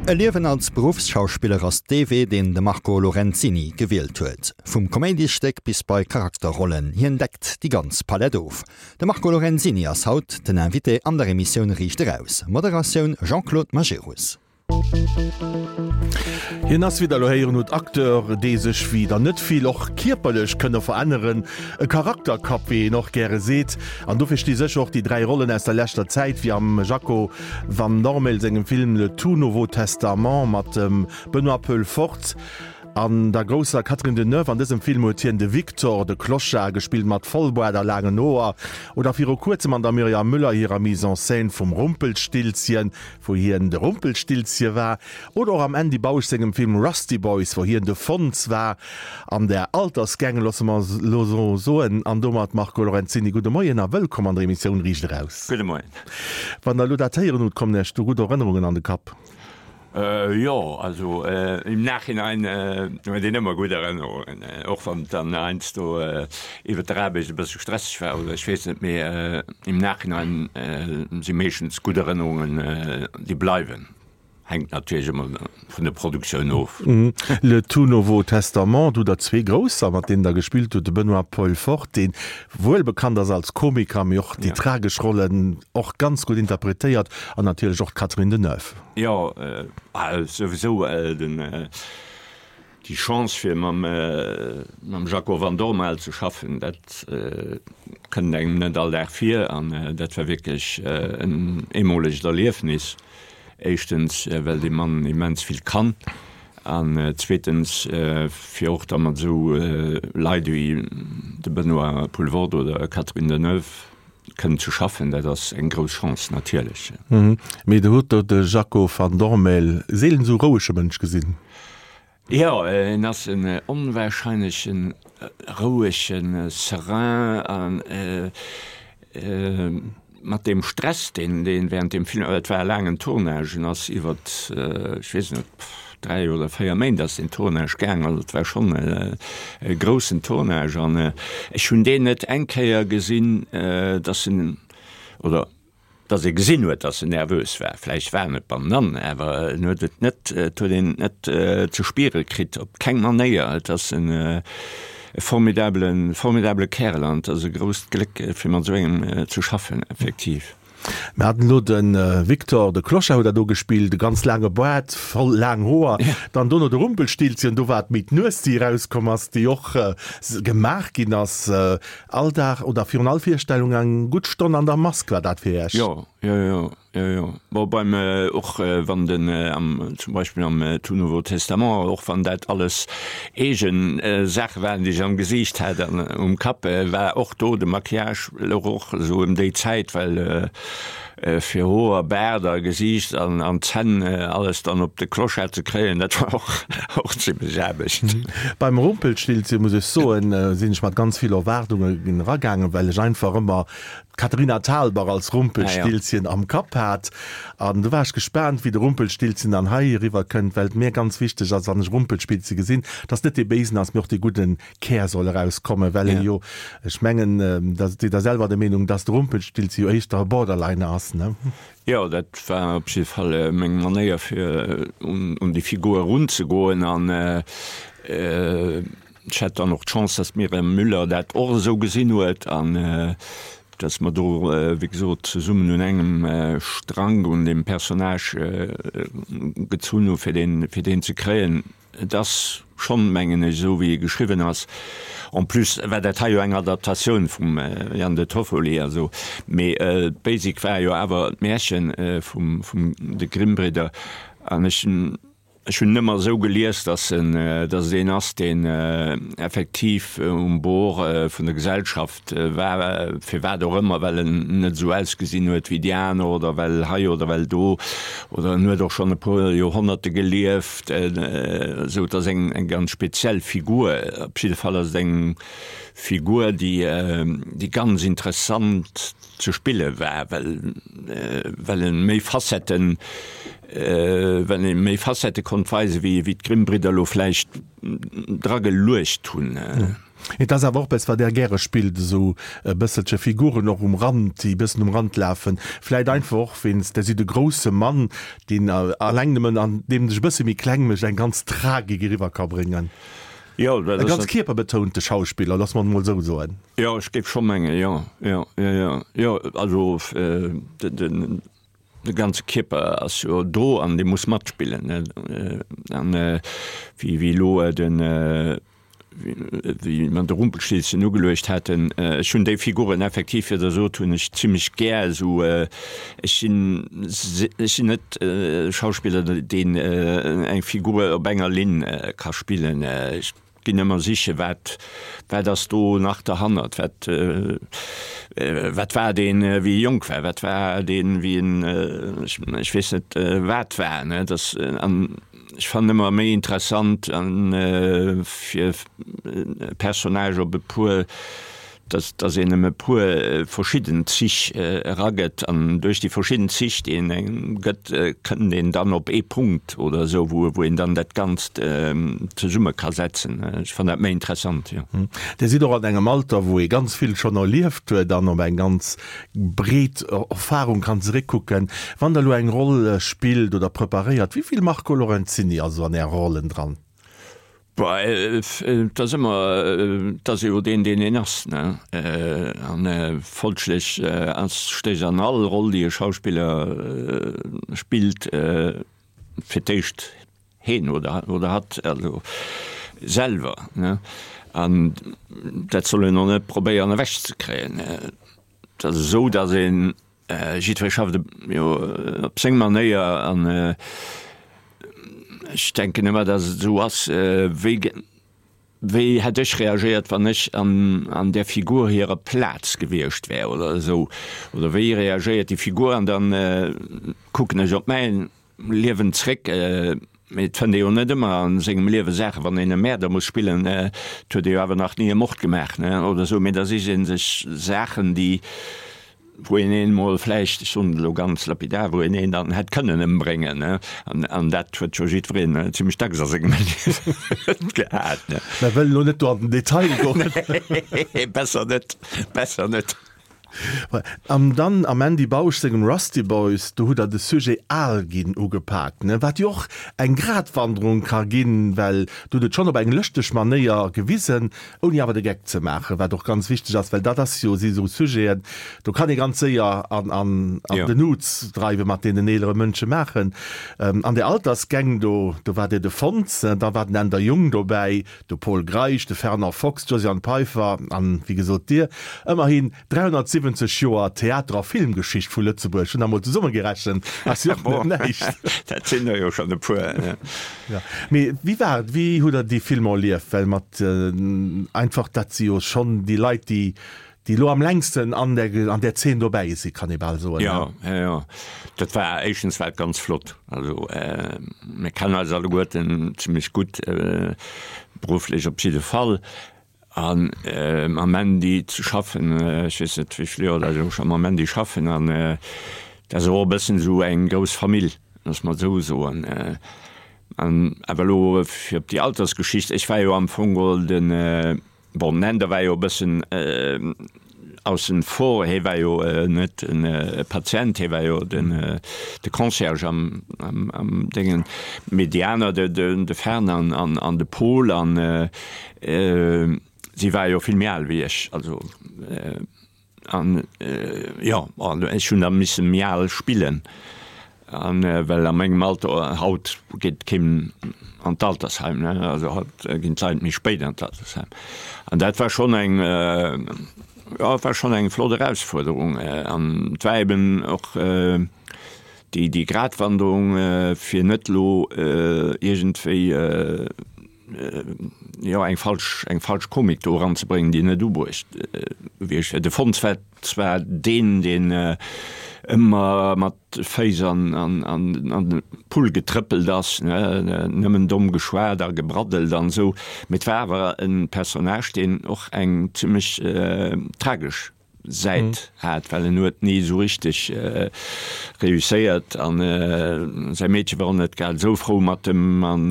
E Liewen als Beruffsschauspiller ass dee Wee, deen de Marco Lorenzini gewielt huet. Vum Koméidisstéck bis bei Charakterrollen, hien deckt déi ganz Palett of. De Marco Lorenzini ass haut den Invité an der Emissioun Riicht Eraus. Moderatioun Jean-Claude Majerus. Hien ass, wéi der elo héieren hutt, Acteur, dee sech, wéi der net vill, och kierperlech kënne veränneren. E Charakterkapp, wéi een och gäre seet. An dofir sti sécher och déi 3 Rollen aus der leschter Zäit, wéi am Jaco Van Dormael sengem Film Le tout nouveau testament mat dem Benoît Poelvoorde an der grousser Catherine Deneuve. An dësem Film huet hien de Victor, de Clochard, gespillt mat Vollboart a laangen Hoer. Oder viru kuerzem an der Myriam Müller hirer Mise en scène vum Rumpelstilzchen, wou hien de Rumpelstilzche war, oder och am Andy Bausch sengem Film Rusty Boys, wou hien de Fonz war an der Altersgang, loosse mer elo esou soen. An domat, Marco Lorenzini, gudde Moien a wëllkomm an der Emissioun Riicht Eraus. Gudde Moien. Wann Der elo dat héieren hutt, kommen Iech do gutt Erënnerungen an de Kapp? Jo, also im Nachhinein huet een ëmmer gutt Erënnerungen, och wann et dann heiansdo iwwert der Aarbecht e bësse stresseg war oder ech weess net, mee im Nachhinein si meeschtens gutt Erënnerungen, déi bleiwen. Hänkt natierlech ëmmer vun der Produktioun of. Le tout nouveau testament, do hutt Der zwee Grousser, mat deenen Der gespillt hutt, de Benoît Paul Fort, dee wuel bekannt ass als Komiker, mee och déi tragesch Rollen och ganz gutt interpretéiert, an natierlech och d'Catherine Deneuve. Jo, souwisou den, déi Chance fir mam mam Jaco Van Dormael ze schaffen, dat kënnt engem net all Dag vir an dat war wierklech en eemolegt Erliefnis. Éischtens well dee Mann immens vill kann an zweetens fir och da mat esou Leit ewéi de Benoît Poelvoorde oder Catherine Deneuve Kënnen ze schaffen, dat ass eng grouss Chance natierlech. Mee der hutt do de Jaco van Dormael seelen esou rouege Mënsch gesinn. Jo, en ass en onwahrscheinlechen rouegen, serein an mat deem Stress, deen deen während deem Film, et war e laangen Tournage, en ass iwwert, ech weess net, 3 oder 4 Méint ass deen Tournage gaang, also et war schonn e groussen Tournage an ech hunn deen net eng Kéier gesinn, dass en, oder dass ee gesinn huet, dass en nervös war. Vläicht war en et bannenann, awer en huet et net, et huet een et net ze spiere kritt, op keng Manéier. Et ass en formidabele, formidabele Kärel an et ass e grousst Gléck, fir mat esou engem ze schaffen, effektiv. Mir haten elo de Victor, de Clochard huet dat do gespillt, e ganz laange Baart, voll laang Hoer. Dann dono de Rumpelstilzchen, do war et méi d'Nues, déi erauskomm ass, déi och gemaach ginn ass. All Dag oder virun all Virstellung eng gutt Stonn an der Mask war dat fir Iech? Jo, jo, jo, jo, jo. Bon, beim, och wann den am, zum Beispill am Tout Nouveau Testament, och wann dat alles eegen Saache waren, déi ech am Gesiicht hat an um Kapp, war och do de Maquillage louch och esou ëm déi Zäit, well fir Hoer, Baart a Gesiicht an an Zänn alles dann op de Clochard ze kréien, dat war och och zimlech Aarbecht. Beim Rumpelstilzchen, muss ech soen, sinn ech mat ganz vill Erwaardungen eragaangen, well ech einfach ëmmer d'Katharina Thalbach als Rumpelstilzchen am Kapp hat. An du war ech gespaant, wéi de Rumpelstilzchen dann hei eriwwer kënnt, well et mir ganz wichteg ass, wann ech Rumpelspilzchen gesinn, dass net dee Béisen ass, mee och dee gudden Kär soll erauskommen, well e jo, ech mengen, da sidd Der selwer der Meenung, dass de Rumpelstilzchen jo éischter e Borderliner ass, ne? Jo, dat war op jidde Fall meng Manéier, fir un déi Figur erunzegoen. An Ech hat dann och d'Chance, dass d'Myriam Müller dat och esou gesinn huet an dass mer do, wéi gesot, zesummen un engem Strang un deem Personnage gezunn hu fir deen, fir deen ze kréien. Et ass schonn, mengen ech, esou wéi e geschriwwen ass. En plus war dat hei jo eng Adaptatioun vum Jan De Toffoli, also, mee d'Basic war jo awer d'Märche vum, vum de Grimm-Bridder an ech hunn, Ech hunn en ëmmer esou gelies, dass en, dass et een ass, deen effektiv um Bord vun der Gesellschaft war, firwat och ëmmer, well en net esou ausgesinn huet wéi déi aner oder well hei oder well do, oder en huet och schonn e puer Joerhonnerte gelieft, esou et ass eng, eng ganz speziell Figur. Op jidde Fall ass et eng Figur, déi, déi ganz interessant ze spille war, well well e méi Facetten, well e méi Facettë konnt weisen, wéi wéi d'Grimm-Bridder elo vläicht dra geluecht hunn. Et ass awer och eppes, wat Der gäre spillt, esou e bësselche Figuren och um Rand, déi e bëssen um Rand lafen. Vläit einfach och wéinst, Der sidd e grousse Mann, deen alleng nëmmen an deem sech e bësse méi kleng mécht, eng ganz Tragik eriwwer ka bréngen. Jo, dat ass. E ganz kierperbetounte Schauspiller, loosse mer et emol esou soen. Jo, ech géif scho mengen, jo, jo, jo, jo, jo. Also den. De ganze Kierper ass jo do an dee muss matspillen. An wéi wéi elo den, wéi mer de Rumpelstilzchen ugeluecht haten, ech hunn déi Figuren effektiv, wéi Der sot, hunn ech zimlech gär esou. Ech sinn, ech sinn net e Schauspiller, deen eng Figur op enger Linn ka spillen. Ech Ginn ëmmer sichen, wat, wat ass do nach derhannert, wat, wat war deen, wéi e jonk war, wat war deen, wéi en, ech weess net, wat war, ne. Dass, an ech fannen ëmmer méi interessant, an fir e Personnage op e puer dass dass een em e puer verschidden Zich eragëtt an duerch déi verschidden Zich, déi een engem gëtt, kënnt een dann op ee Punkt oder esou, wou wou een dann dat Ganzt zesumme ka setzen. Ech fannen dat méi interessant, jo. Dir sidd och an engem Alter, wou ee ganz vill schonn erlieft huet an op eng ganz breet Erfahrung kann zeréckkucken. Wann Der elo eng Roll spillt oder preparéiert, wéi vill Marco Lorenzini ass esou an Äre Rollen dran? Bah, et ass ëmmer, et ass jo deen, deen een ass, ne? An folglech ass, stécht an all Roll, déi e Schauspiller spillt, fir d'éischt heen oder, oder hatt, also selwer, ne? An dat soll een och net probéieren ewechzekréien. Et ass esou, datt een Jiddweree schafft jo op seng Manéier an ech denken ëmmer, datt et esou ass, wéi wéi hätt ech reagéiert, wann ech an an där Figur hirer Plaz gewiescht wär oder esou oder wéi reagéiert déi Figur an dann kucken ech op mäin Liewen zréck. Mee et fënnt ee jo net ëmmer a sengem Liewe Saachen, wann een e Mäerder muss spillen, et huet ee jo awer nach ni e Mord gemaach, ne, oder esou. Mee da sicht ee sech Saachen, déi, wou een een emol vläicht, ech soen et elo ganz lapidar, wou een een dann hätt kënnen ëmbréngen, ne. An, an dat huet jo jiddwereen zimlech dacks a sengem Liewen gehat, ne. Mer wëllen elo net do an den Detail goen. Nee, besser net, besser net. An dann am Andy Bausch sengem Rusty Boys, do hutt der de Sujet al ginn ugepaakt, ne, wat jo och eng Gratwanderung ka ginn, well do hutt et schonn op eng lëschteg Manéier gewisen, ouni awer de Geck ze maachen, wat och ganz wichteg ass, well dat ass jo, si sou Sujeten, do kann ee ganz séier an an an den Uz dreiwen, mat deenen eelere Mënsche maachen. An där Altersgäng do, do war Dir de Fons, da war den Änder Jung dobäi, De Pol Greisch, de Fernand Fox, d'Josiane Peiffer an, wéi gesot, Dir. Ëmmerhin 370 Joer Theater a Filmgeschicht vu Lëtzebuerg, hunn der mol zesummegerechent, ass jo och net näischt. Dat sinn der jo schonn e puer. Jo, mee wéi war et, wéi hutt Der déi Filmer erlieft? Well mat einfach, dat si jo schonn déi Leit, déi Déi elo am längsten an der, an där Zeen dobäi si, kann ee bal soen. Jo, jo, jo. Dat war, éischtens war et ganz flott. Also mir kennen eis alleguerten zimlech gutt, berufflech op jidde Fall. A mam Mandy ze schaffen, ech weess net wéi vill Joer dat ech elo scho mam Mandy schaffen, an dat ass och e bëssen esou eng grouss Famill, looss mer et esou soen. An awer elo fir op déi Altersgeschicht, ech war jo am Fong geholl den, Bon, den Änder war jo e bëssen aussen vor, hie war jo net e Patient, hie war jo de Concierge am Déngen, mee déi aner, de Fernand an de Paul, an si ware jo vill méi al wéi ech, also. An jo, ech hunn da misse méi al spillen, an well a mengem Alter, haut geet keen an d'Altersheim, ne, also haut ginn d'Leit méi spéit an d'Altersheim. An dat war schonn eng, jo, et war schonn eng flott Erausfuerderung. An et war eben och déi, déi Gratwanderung, fir net elo iergendwéi, jo eng falsch eng falsch Komik do eranzebréngen, déi net ubruecht gewiescht wär. De Fons war zwar deen, deen ëmmer mat Féiss an an an an de Pull getrëppelt ass, ne, nëmmen domm geschwat a gebraddelt an esou, mee et war awer e Personnage, deen och eng zimmlech tragesch Säit hat, well en huet ni esou richteg reusséiert an säi Meedche war och net grad esou frou mat em an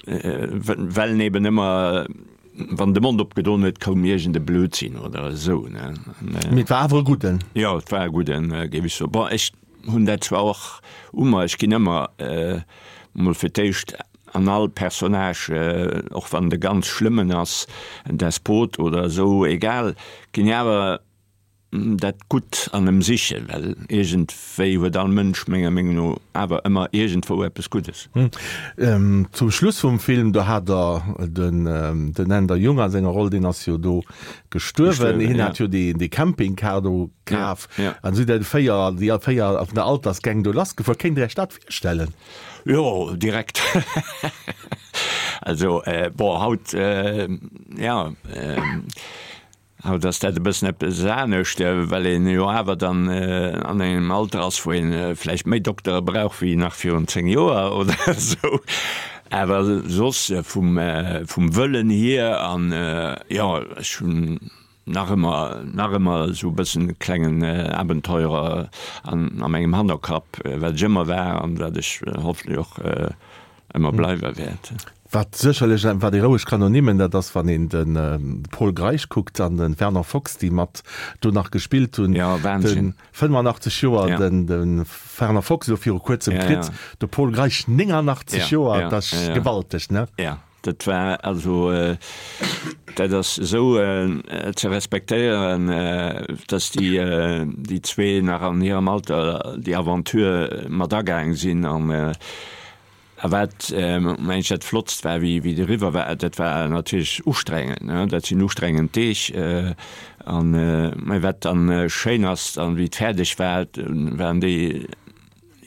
well en eben ëmmer. Wann de Mond opgedon huet, koum iergend e Blödsinn oder esou, ne. Mee et war awer e gudden. Jo, et war e gudden, géif ech soen. Bon, ech hunn dat zwar och u mer, ech ginn ëmmer mol fir d'éischt an all Personnage, och wann et e ganz schlëmmen ass, en Despot oder esou, egal, ginn ech awer dat Gutt an em sichen, well iergendwéi huet all Mënsch menger Meenung no awer ëmmer iergendwou eppes Guddes. Zum Schluss vum Film, do hat der den den Änder Jung a senger Roll, deen ass jo do gestuerwen, hien hat jo dee dee Campingcar do kaf an si déi 4 déi 4 vun der Altersgang do lassgefuer. Kéint Der Iech dat virstellen? Jo, direkt. Also bon, haut, jo. Haut ass dat e bëssen eppes anescht, well een jo awer dann an engem Alter ass, wou ee vläicht méi Doktere brauch wéi nach virun 10 Joer oder esou. Awer soss vum Wëllen hier an, jo, ech hunn nach ëmmer, nach ëmmer esou e bëssen e klengen Abenteurer a mengem Hannerkapp, wat ech ëmmer war an wat ech hoffentlech och ëmmer bleiwe wäert. Wat sécherlech, wat ee roueg kann ernimmen, dat ass, wann een de Pol Greisch kuckt an de Fernand Fox, déi mat do nach gespillt hunn. Jo, Wahnsinn. De 85 Joer, de Fernand Fox elo viru kuerzem kritt, de Pol Greisch 89 Joer, dat ass gewalteg, ne? Jo, dat war also, dat ass esou ze respektéieren, datt déi zwee nach an hirem Alter déi Aventure mat agaang sinn an A wat, meng ech, dat Flottst war, wéi wéi et eriwwer war, dat war natierlech ustrengend, ne, dat sinn ustrengend Deeg. An, mä wat dann schéin ass, dann, wéi et fäerdeg war, waren déi,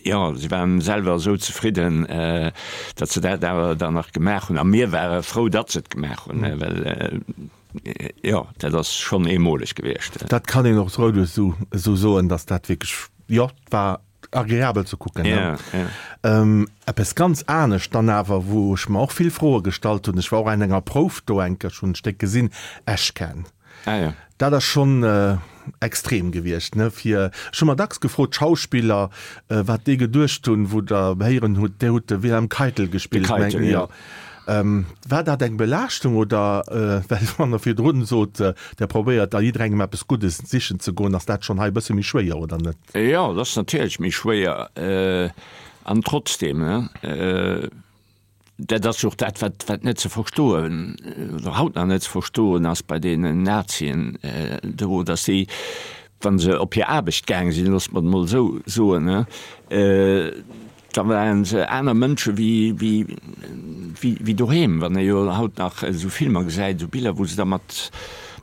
jo, si waren selwer esou zefridden, datt se dat awer dann nach gemaach hunn. A mir ware frou, datt se et gemaach hunn, well, jo, dat ass schonn eemoleg gewiescht. Dat kann een och esou esou soen, datt dat wierklech, jo, war Agreabel ze kucken, ne? Ja, ja. Eppes ganz anescht dann awer, wou ech mer och vill Froe gestallt hunn, ech war och an enger Prouf do eng Kéier, ech hunn d'Stéck gesinn, Eschken. Ah ja. Dat ass schonn extrem gewiescht, ne? Fir, ech hu mer dacks gefrot, d'Schauspiller, wat déi geduecht hunn, wou Der héieren hutt, Dir hutt de Wilhelm Keitel gespillt, De Keitel, ja. War dat eng Belaaschtung oder, well wann Der virdrun sot, Der probéiert a jidderengem eppes Guddes sichen ze goen, ass dat schonn hei e bësse méi schwéier, oder net? Jo, dat ass natierlech méi schwéier. An trotzdem, dat ass jo och dat, wat, wat net ze verstoen oder haut nach net ze verstoen ass bei deenen Nazien do, datt si, wa se op hir Aarbecht gaang sinn, loosse mer et emol esou soen, Da waren se aner Mënsche wéi doheem. Wann ee jo haut nach esou Filmer gesäit, esou Biller, wou se da mat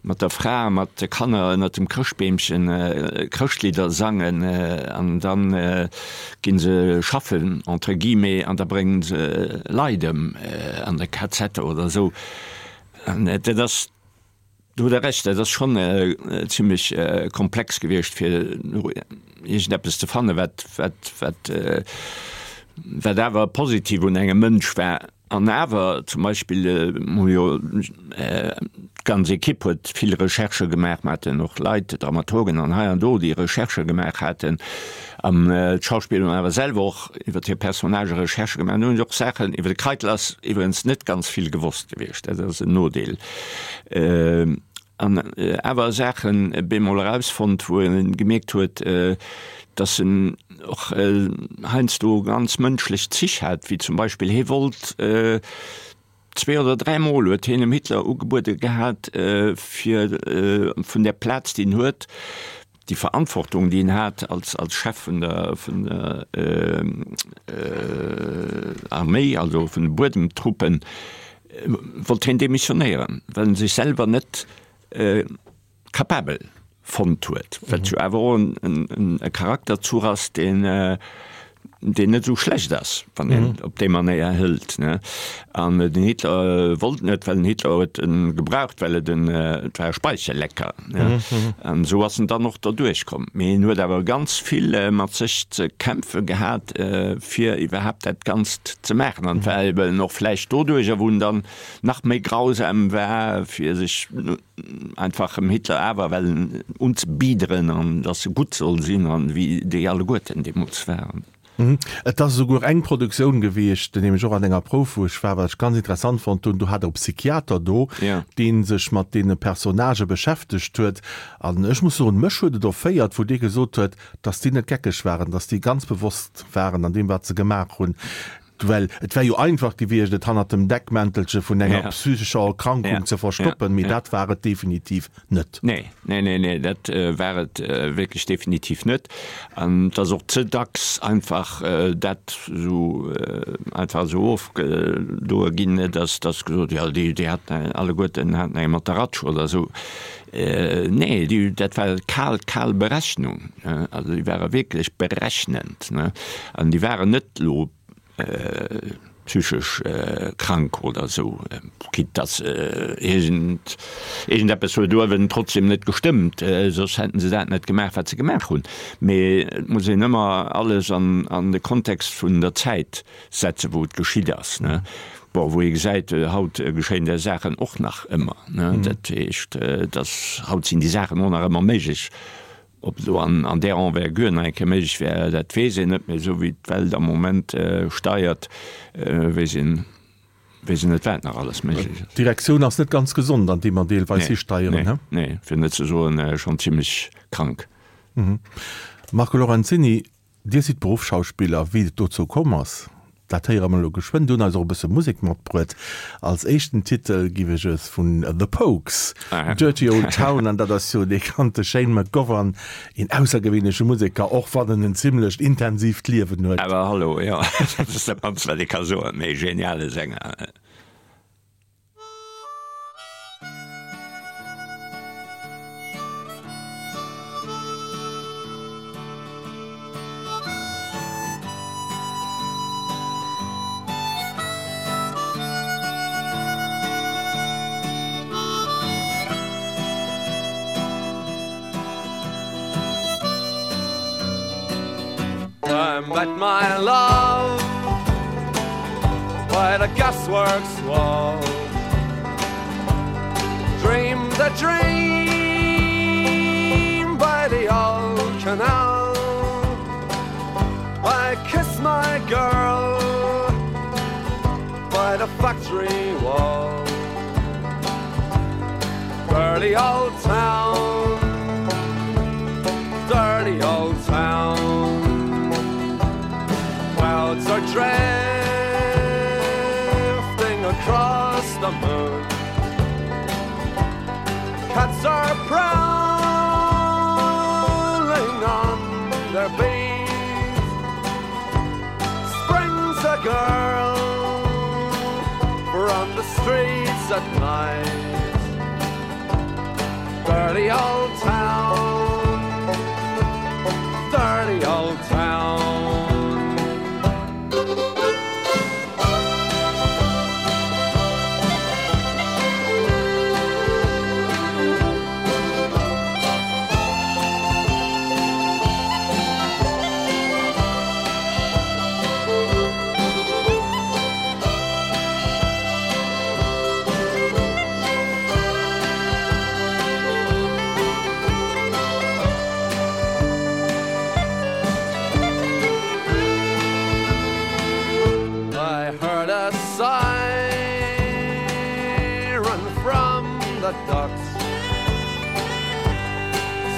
mat der Fra a mat de Kanner ënnert dem Chrëschtbeemchen Chrëschtlidder sangen an da gi se schaffen, entre guillemets, an da bréngen se Leit ëm an de KZ oder esou. An dat ass. Do hutt Der Recht, dat ass schonn zimlech komplex gewiescht, fir iergendeppes ze fannen, wat, wat, wat, wat awer positiv un engem Mënsch war. An awer zum Beispill hu jo d'ganz Ekipp huet vill Recherchë gemaach. Mer haten och Leit, Dramaturgen an hei an do, déi Recherchë gemaach haten. An d'Schauspiller hunn awer selwer och iwwer hir Personnagë Recherchë gemaach. An hunn och Saachen, iwwer de Keitel ass iwwregens net ganz vill gewosst gewiescht, dat ass en Nodeel. An awer Saachen bemol erausfonnt, wou e gemierkt huet, datt en och heiansdo ganz mënschlech Zich hat, wéi zum Beispill hie wollt zwee oder dräimol huet hien dem Hitler ugebuede gehat, fir vun där Plaz, déi en huet, déi Verantwortung, déi en hat als als Chef vun der vun der Arméi, also vun de Buedemtruppen, wollt hien demissionéieren, well en sech selwer net capabel fonnt huet, wat jo awer och en e Charakterzuch ass, deen deen net esou schlecht ass, wann een et op déi Manéier hëlt, ne. An den Hitler wollt net, well den Hitler huet en gebraucht, well et en, et war e Speichellecker, ne. An esou ass en dann och derduerch komm. Mee en huet awer ganz vill mat sech ze kämpfe gehat, fir iwwerhaapt dat Ganzt ze maachen. An et war eben och vläicht doduercher, wou en dann nach méi grausam war, fir sech einfach dem Hitler awer wellen unzebiederen an dass e gutt soll sinn an wéi déi alleguerten deemools waren. Et ass esouguer eng Produktioun gewiescht, nämlech och an enger Prouf, wou ech war, wat ech ganz interessant fonnt hunn, do hat e Psychiater do, dee sech mat deene Personnagë beschäftegt huet. An ech muss soen, mech huet et erféiert, wou dee gesot huet, dass déi net geckeg waren, dass déi ganz bewosst waren an deem, wat se gemaach hunn. Well et wär jo einfach gewiescht, et hannert dem Deckmäntelche vun enger psychescher Erkrankung ze verstoppen, mee dat war et definitiv net. Nee, nee, nee, nee, dat war et wierklech definitiv net. An et ass och ze dacks einfach dat esou einfach esou ofgedoe ginn, dass dass gesot jo, déi déi haten alleguerten haten eng mat der Ratsch oder esou. Nee, déi dat war kal, kal Berechnung. Also déi ware wierklech berechnend, ne? An déi waren net elo psychesch krank oder esou, quitte dass iergend iergendeppes huet uewen trotzdem net gestëmmt, soss hätten se dat net gemaach, wat se gemaach hunn. Mee et muss een ëmmer alles an an de Kontext vun der Zäit setzen, wou et geschitt ass, ne. Bon, wou ee gesäit, haut geschéien där Saachen och nach ëmmer, ne. Dat heescht, dass haut sinn déi Saachen och nach ëmmer méiglech. Ob et elo an där Envergure nach eng Kéier méiglech wär, dat weess een net, mee esou wéi d'Welt am Moment steiert, weess een, weess een net, wat nach alles méiglech ass. D'Direktioun ass net ganz gesond, an déi mer deelweis histeieren, he? Nee, nee, fir net ze soen, schonn zimlech krank. Marco Lorenzini, Dir sidd Beruffsschauspiller. Wéi et dozou komm ass, dat héiere mer elo geschwënn. Dir hunn eis och e bësse Musek matbruet. Als éischten Titel giff ech es vun The Pogues, Dirty Old Town, an dat ass jo dee bekannte Shane McGovern, een aussergewéinleche Museker, och wann en en zimmlecht intensiivt Liewen huet. Awer hallo, jo, dat ass dat mannst wat ee ka soen, mee geniale Sänger. I met my love by the gasworks wall Dreamed a dream by the old canal I kissed my girl by the factory wall Dirty old town Dirty old town Clouds are drifting across the moon Cats are prowling on their beat Springs a girl from the streets at night Dirty old town Dirty old town. I heard a siren from the docks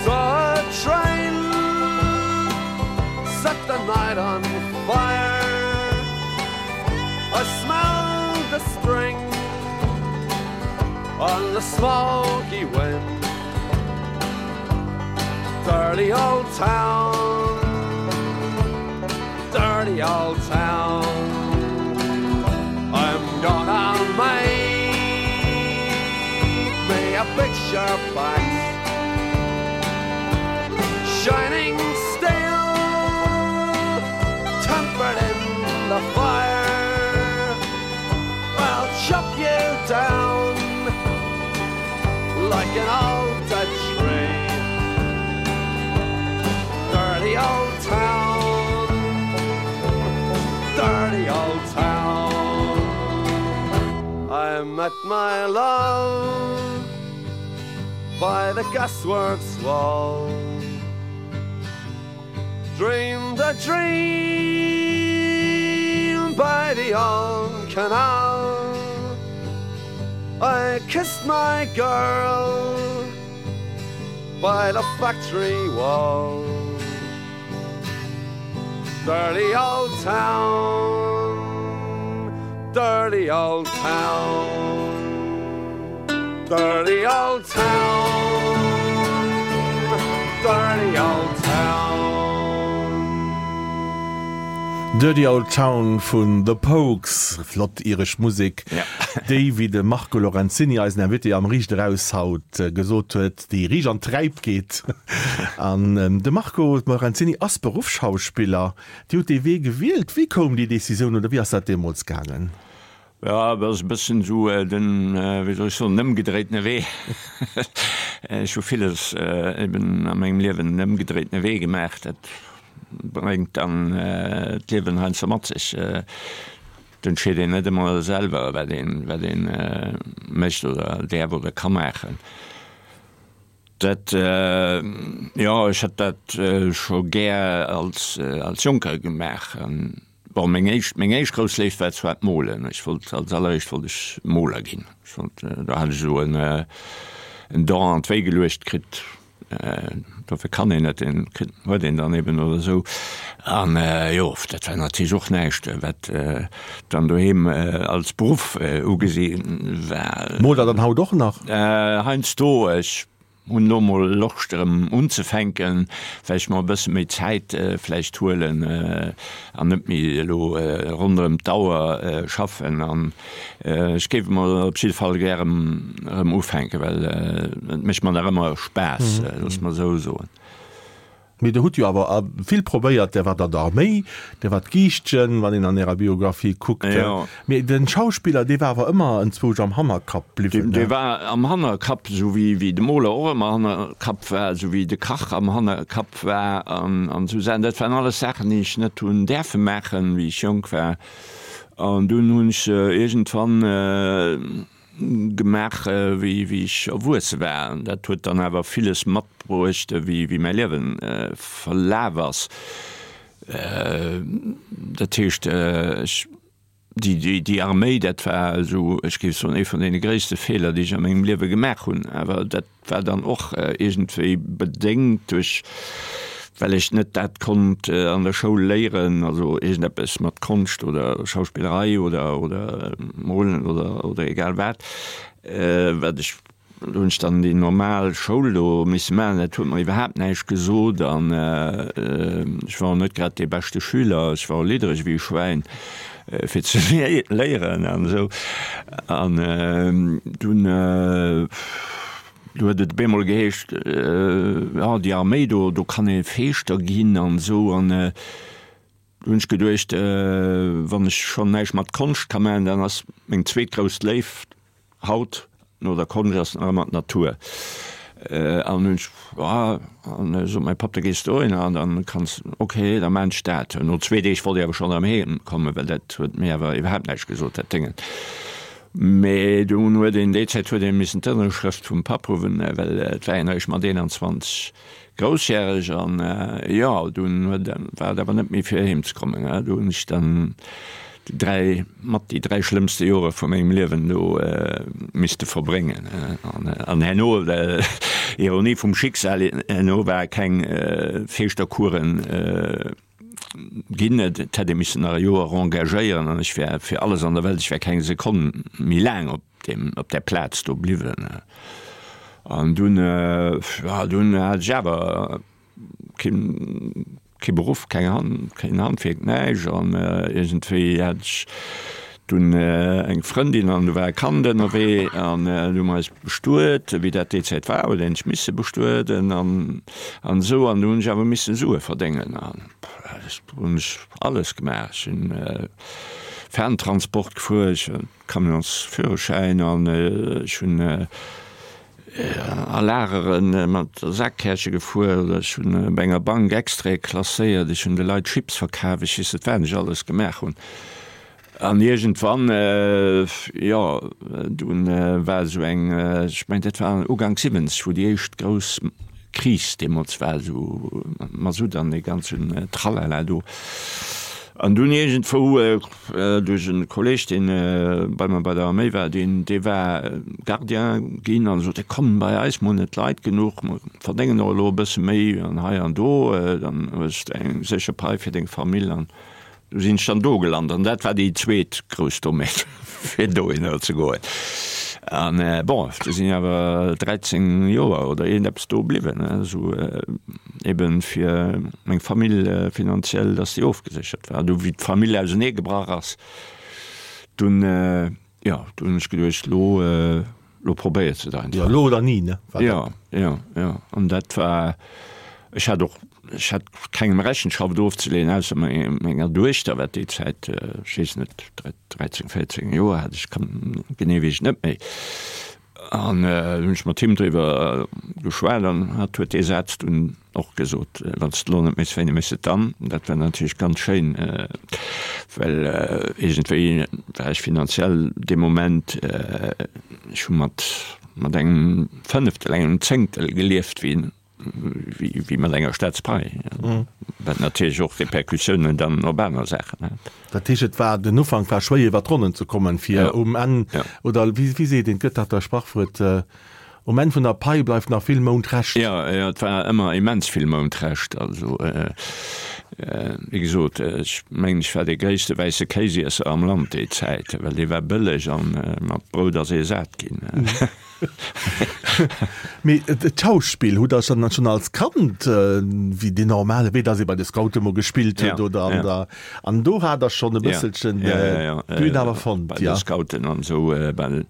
Saw a train set the night on fire I smelled the spring on the smoky wind Dirty old town Dirty old town I'm gonna make me a picture box Shining steel tempered in the fire I'll chop you down like an old dead tree Dirty old town Dirty old town I met my love by the gasworks wall Dreamed. a dream by the old canal. I kissed my girl by the factory wall. Dirty old town, dirty old town, dirty old town, dirty old town. Dirty Old Town vun The Pogues, flott iresch Musek, déi, wéi de Marco Lorenzini, eisen Invité am Riicht Eraus haut gesot huet, déi riicht an d'Träip geet. An de Marco Lorenzini ass Beruffsschauspiller. Dir hutt dee Wee gewielt. Wéi koum déi Decisioun oder wéi ass dat deemools gaangen? Jo, dat ass e bëssen esou den, wéi soll ech soen, den ëmgedréitene Wee. Ech hu villes eben a mengem Liewen den ëmgedréitene Wee gemaach. Dat bréngt dann d'Liewen heiansdo mat sech. Et entscheet een net ëmmer selwer, wat een, wat een mécht oder däerf oder ka maachen. Dat, jo, ech hätt dat scho gär als, als Jonker gemaach. Bon, meng éischt, meng éischt grouss Léift war zwar d'Molen. Ech wollt, als alleréischt wollt ech Moler ginn. Ech wollt, do hat ech esou en, en Don an d'Wéi geluecht kritt. Dofir kann een net, deen kritt, huet een dann eben oder esou. An jo, dat war natierlech och näischt, wat dann doheem als Beruff ugesi war. Moolt Der dann haut och nach? Heiansdo. Ech hunn elo mol Loscht erëm unzefänken, well ech mer e bësse méi Zäit vläicht huelen an net méi elo ronderëm d'Auer schaffen. An ech géif emol op jidde Fall gär erëm ufänken, well et mécht mer nach ëmmer Spaass, loosse mer esou soen. Mee Der hutt jo awer vill probéiert, Der waart an der Arméi, Der waart Giischtjen, wann een an Ärer Biographie kuckt. Mee den Schauspiller, dee war awer ëmmer enzwousch am Hannerkapp bliwwen, ne? Dee war am Hannerkapp, esou wéi de Moler och ëmmer Hannerkapp war, esou wéi de Kach am Hannerkapp war an esou Saachen. Dat waren alles Saachen, déi ech net hunn däerfe maachen, wéi ech jonk war. An dunn hunn ech se iergendwann gemaach, wéi wéi ech erwuesse war. An dat huet dann awer villes matbruecht, wéi wéi mäi Liewe verlaf ass. Dat heescht, ech, déi déi déi Arméi, dat war esou, ech géif soen, ee vun deene gréisste Feeler, déi ech a mengem Liewe gemaach hunn. Awer dat war dann och iergendwéi bedéngt duerch, well ech net dat konnt an der Schoul léieren, also iergendeppes mat Konscht oder Schauspillerei oder oder Molen oder oder egal wat, wat ech, do hunn ech dann déi normal Schoul do misse maachen, dat huet mer iwwerhaapt näischt gesot an ech war och net grad dee beschte Schüler, ech war och liddereg wéi e Schwäin fir ze léieren an esou an dunn du huet et op eemol geheescht, jo déi Arméi do, do kann ee Feeschter ginn an esou an du hunn ech geduecht, wann ech schonn näischt mat Konscht ka maachen, dann ass meng zweet grouss Léift Haut, no der Konscht, ass nach ëmmer d'Natur. An hunn ech, ah, an sot mäi Papp, da gees de dohinner an dann kanns, ok, da maan ech dat. No zwee Deeg wollt ech awer schonn erëm heem kommen, well dat huet mir awer iwwerhaapt näischt gesot, dat Déngen. Mee dunn huet een, déi Zäit huet ee missen d'Ënnerschrëft vum Papp huwen, well et war een eréischt mat 21 groussjäreg an jo, dunn huet, war et awer net méi fir heem ze kommen. Do hunn ech dann déi 3, mat déi 3 schlëmmste Jore vu mengem Liewen do misste verbréngen. An herno, Ironie vum Schicksal, herno war keng Feeschtercoursen ginn. Et hätt ee missen nach e Joer engagéieren an ech wär fir alles an der Welt, ech wär keng Sekonn méi laang op deem, op där Plaz do bliwwen. An dunn, jo, dunn hat ech awer keen, kee Beruff, keng Hand, keen Handwierk, näischt. An iergendwéi hat ech dunn eng Frëndin an do war e Kand ënnerwee an du hu mer eis bestuet, wéi dat déi Zäit war, huet een sech misse bestueden an an esou. An du hunn ech awer misse Sue verdéngen an hunn ech alles gemaach. Ech hunn Ferntransport gefuer, ech hunn Camionsführerschäin an ech hunn a Lagere mat Saakkärche gefuer oder ech hunn bei enger Bank Extraite klasséiert, ech hunn de Leit Chips verkaf, ech weess net wat ech alles gemaach hunn. An iergendwann, jo, dunn war esou eng, ech mengen dat war Ugank 70, wou déi éischt grouss. Kris deemools war, esou Masutt an dee ganzen Tralala do. An dunn iergendwou duerch e Kolleg, dee bei mer bei der Arméi war, deen, dee war Gardien ginn an sot, Komm bei eis, mer hunn net Leit genuch, mer verdéngen och elo e bësse méi an hei an do, dann hues de eng sécher Pai fir deng Famill. An Du sinn ech dann do gelant an dat war déi zweet grouss Dommheet, fir dohinner ze goen. An bon, du sinn awer 13 Joer oder iergendeppes do bliwwen, esou eben fir meng Famill finanziell, dass déi ofgeséchert war. Du wéi d'Famill ausenee gebrach ass, dunn, jo, du hunn ech geduecht, lo, lo probéiers de et einfach. Jo, lo oder ni, ne? War dat. Jo, jo, jo. An dat war, ech hat och, ech hat kengem Rechenschaft ofzeleeën, ausser menger Duechter, wat déi Zäit, ech weess net, 13, 14 Joer hat, ech kann, genee weess ech net méi. An du hunn ech mat him driwwer geschwat an hatt huet dee Saz dunn och gesot, Wann s de elo net méchs, wéini méchs de et dann? Dat war natierlech ganz schéin, well iergendwéi war ech finanziell dee Moment, ech hu mat mat engem Fënneftel, engem Zéngtel gelieft wéi wéi mat enger Staatspai, wat natierlech och Repercussiounen dann op aner Saachen hat. Dat heescht, et war, den Ufank war schwéier iwwer d'Ronnen ze kommen, fir um Enn, oder wéi seet een, et gëtt dach dat Sprachwuert, um Enn vun der Pai bleift nach vill Mount Rescht. Jo, jo, et war ëmmer immens vill Mount Rescht. Also, wéi gesot, ech mengen, ech war dee gréisste wäisse Kéisiesser am Land déi Zäit, well dee war bëlleg an mat Brout ass ee sat ginn. Mee d'Schauspill hutt Der dann schonn als Kand, wéi deen normale Wee, dass ee bei de Scoute mol gespillt huet oder an der, an do hat Der schonn e bësselchen d'Bün awer fonnt, jo? Bei de Scouten an esou, well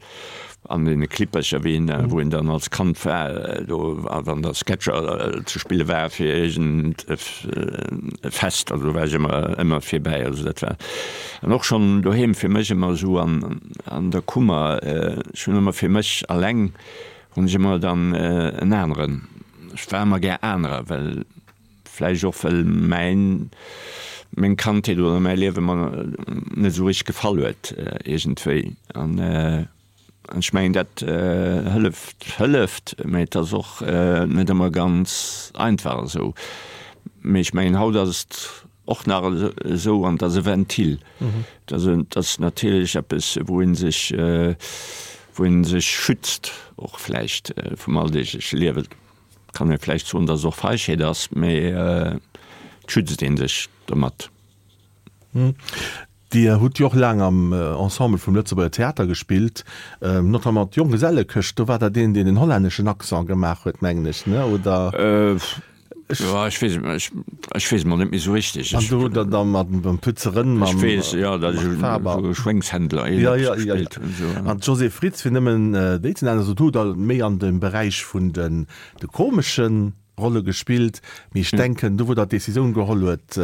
an deene Klippercher, wéi een, wou een dann als Kand war, do, a wann da Sketcher ze spille war fir iergend e Fest, also do war ech ëmmer, ëmmer virbäi. Also dat war an och schonn doheem fir mech ëmmer esou an, An der Kummer, ech hunn ëmmer fir mech alleng hunn ech ëmmer dann en aneren, ech war ëmmer gär anerer, well vläicht och well mäin, meng Kandheet oder mäi Liewe mer net esou richteg gefall huet iergendwéi. An ech mengen dat hëlleft, hëlleft, mä et ass och net ëmmer ganz einfach esou. Mee ech mengen haut ass et Och nach esou, an et ass e Ventil. Et ass natierlech eppes, wou ee sech, wou ee sech schützt, och vläicht vum alldeegleche Liewen. Kann ee vläicht soen, datt et och Feigheet ass, mee et schützt ee sech domat. Dir hutt jo och laang am Ensemble vum Lëtzebuerger Theater gespillt, notamment d'Jonggesellekëscht. Do war der deen, deen den hollänneschen Accent gemaach huet, mengen ech, ne? Oder? Jo, ech weess et, ech weess et mol net méi esou richteg. An do hutt Der da mat dem Pütze Rënn, mam Ech weess, jo, datt ech Faber. e Schwéngshändler Ja, ja, ja, ja. gespillt hunn, esou. An d'Josée Fritz, fir nëmmen déi ze nennen, also do hutt Der méi an dem Beräich vun den de komeschen Rolle gespillt, mee ech denken, do wou Der d'Decisioun geholl huet,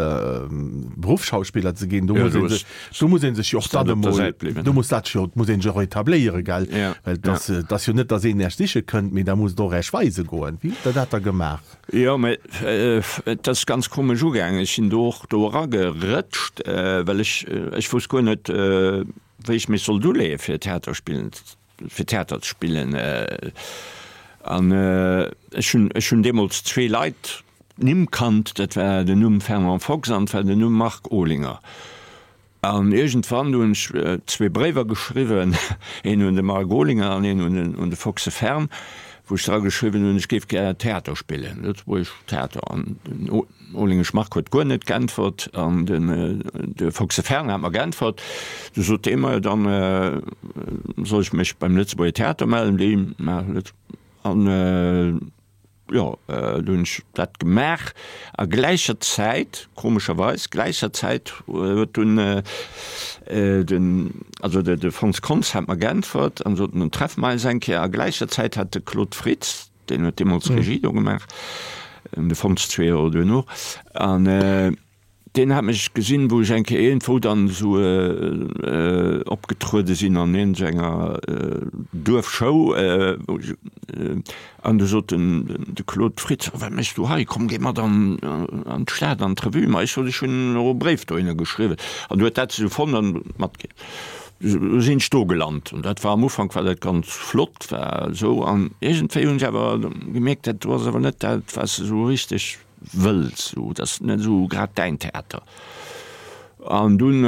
Beruffsschauspiller ze ginn, do muss ee sech, do muss ee sech jo och dann emol, do muss dat jo, muss ee sech och etabléieren, gell? Well et ass, et ass jo net, datt een Iech siche kënnt, mee da musst Der och Iech weise goen. Wéi hutt Der dat da gemaach? Jo, mee et ass ganz komesch ugaangen. Ech sinn do och do eragerëtscht, well ech, ech wousst guer net, wéi ech mech sollt uleeë fir Theater spillen fir Theater ze spillen. An ech hunn, ech hunn deemools zwee Leit, Nimm kannt, dat war den Numm Fernand Fox an et war den Numm Marc Olinger. An iergendwann hunn ech zwee Bréiwer geschriwwen, een un de Marc Olinger an een un den, un de Foxe Fern, wou ech dra geschriwwen hunn, ech géif gär Theater spillen, Lëtzebuergesch Theater. An den Olingesch Marc huet guer net geäntwert an den de Foxe Fern hat mer geäntwert. Du sot dee mer, dann soll ech mech beim Lëtzebuerger Theater mellen, déi maachen et. An jo, du hunn ech dat gemaach a gläicher Zäit, komescherweis gläicher Zäit huet dunn den, also de Fons Kontz hat mer geäntwert an sot, nun treffe mer eis eng Kéier. A gläicher Zäit hat de Claude Fritz, Deen huet deemools Regie do gemaach, de Fons zwee Joer duerno. An deen hat mech gesinn, wou ech eng Kéier iergendwou dann esou opgetruede sinn an iergendenger Duerfshow. An du sot den de Claude Fritz, Wat méchs du hei? Komm, géi mat an d'Stad, an d'Revue. Ma ech sot, ech hunn och e Bréif dohinner geschriwwen. An du huet dat esou fonnt an matginn. Do sinn ech do gelant an dat war am Ufank war dat ganz flott, war esou an iergendwéi hunn ech awer gemierkt, dat do ass awer net dat, wat s de esou richteg wëlls, esou, dat ass net esou grad däin Theater. An dunn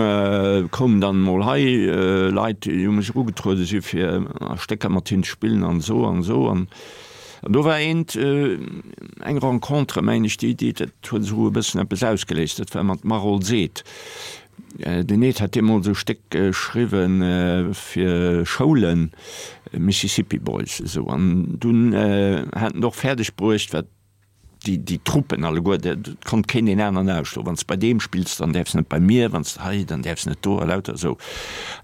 koumen dann emol hei Leit, déi u mech erugetruede si fir a Stécker mat hinnen ze spillen an esou an esou. An do war eent, eng Rencontre, mengen ech, déi, déi, dat huet esou e bëssen eppes ausgeléist, dat war mat Marol Seed. Den Ed hat deemools e Stéck geschriwwe fir Schoulen, Mississippi Boys, esou. An dunn hat en och fäerdeg bruecht, wat déi, déi Truppen alleguer, dat konnt keen deen aneren ausschloen. Wann s de bei deem spills, dann däerfs net bei mir, wann s de hei, dann däerfs net do a lauter esou.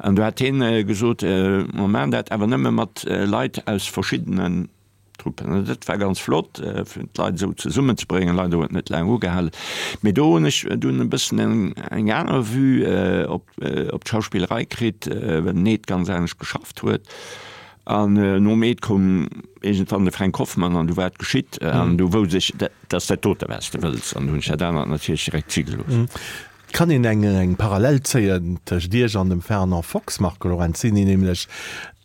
An du hat hien gesot, mer maachen dat awer nëmme mat Leit aus verschiddenen Truppen. An dat war ganz flott, fir d'Leit esou zesummenzebréngen. Leider huet et net laang ugehalen. Mee do hunn ech dunn e bëssen eng, eng aner Vue op, op d'Schauspillerei kritt, well den Ed ganz anescht geschafft huet. An nom Eed koum iergendwann de Fränk Hoffmann an du war et geschitt. An du wousst ech, dat ass dat dote wat s de wëlls. An du hunn ech dat anert natierlech direkt si gelooss. Et kann een eng eng Parallel zéien tëscht Iech an dem Fernand Fox, Marco Lorenzini, nämlech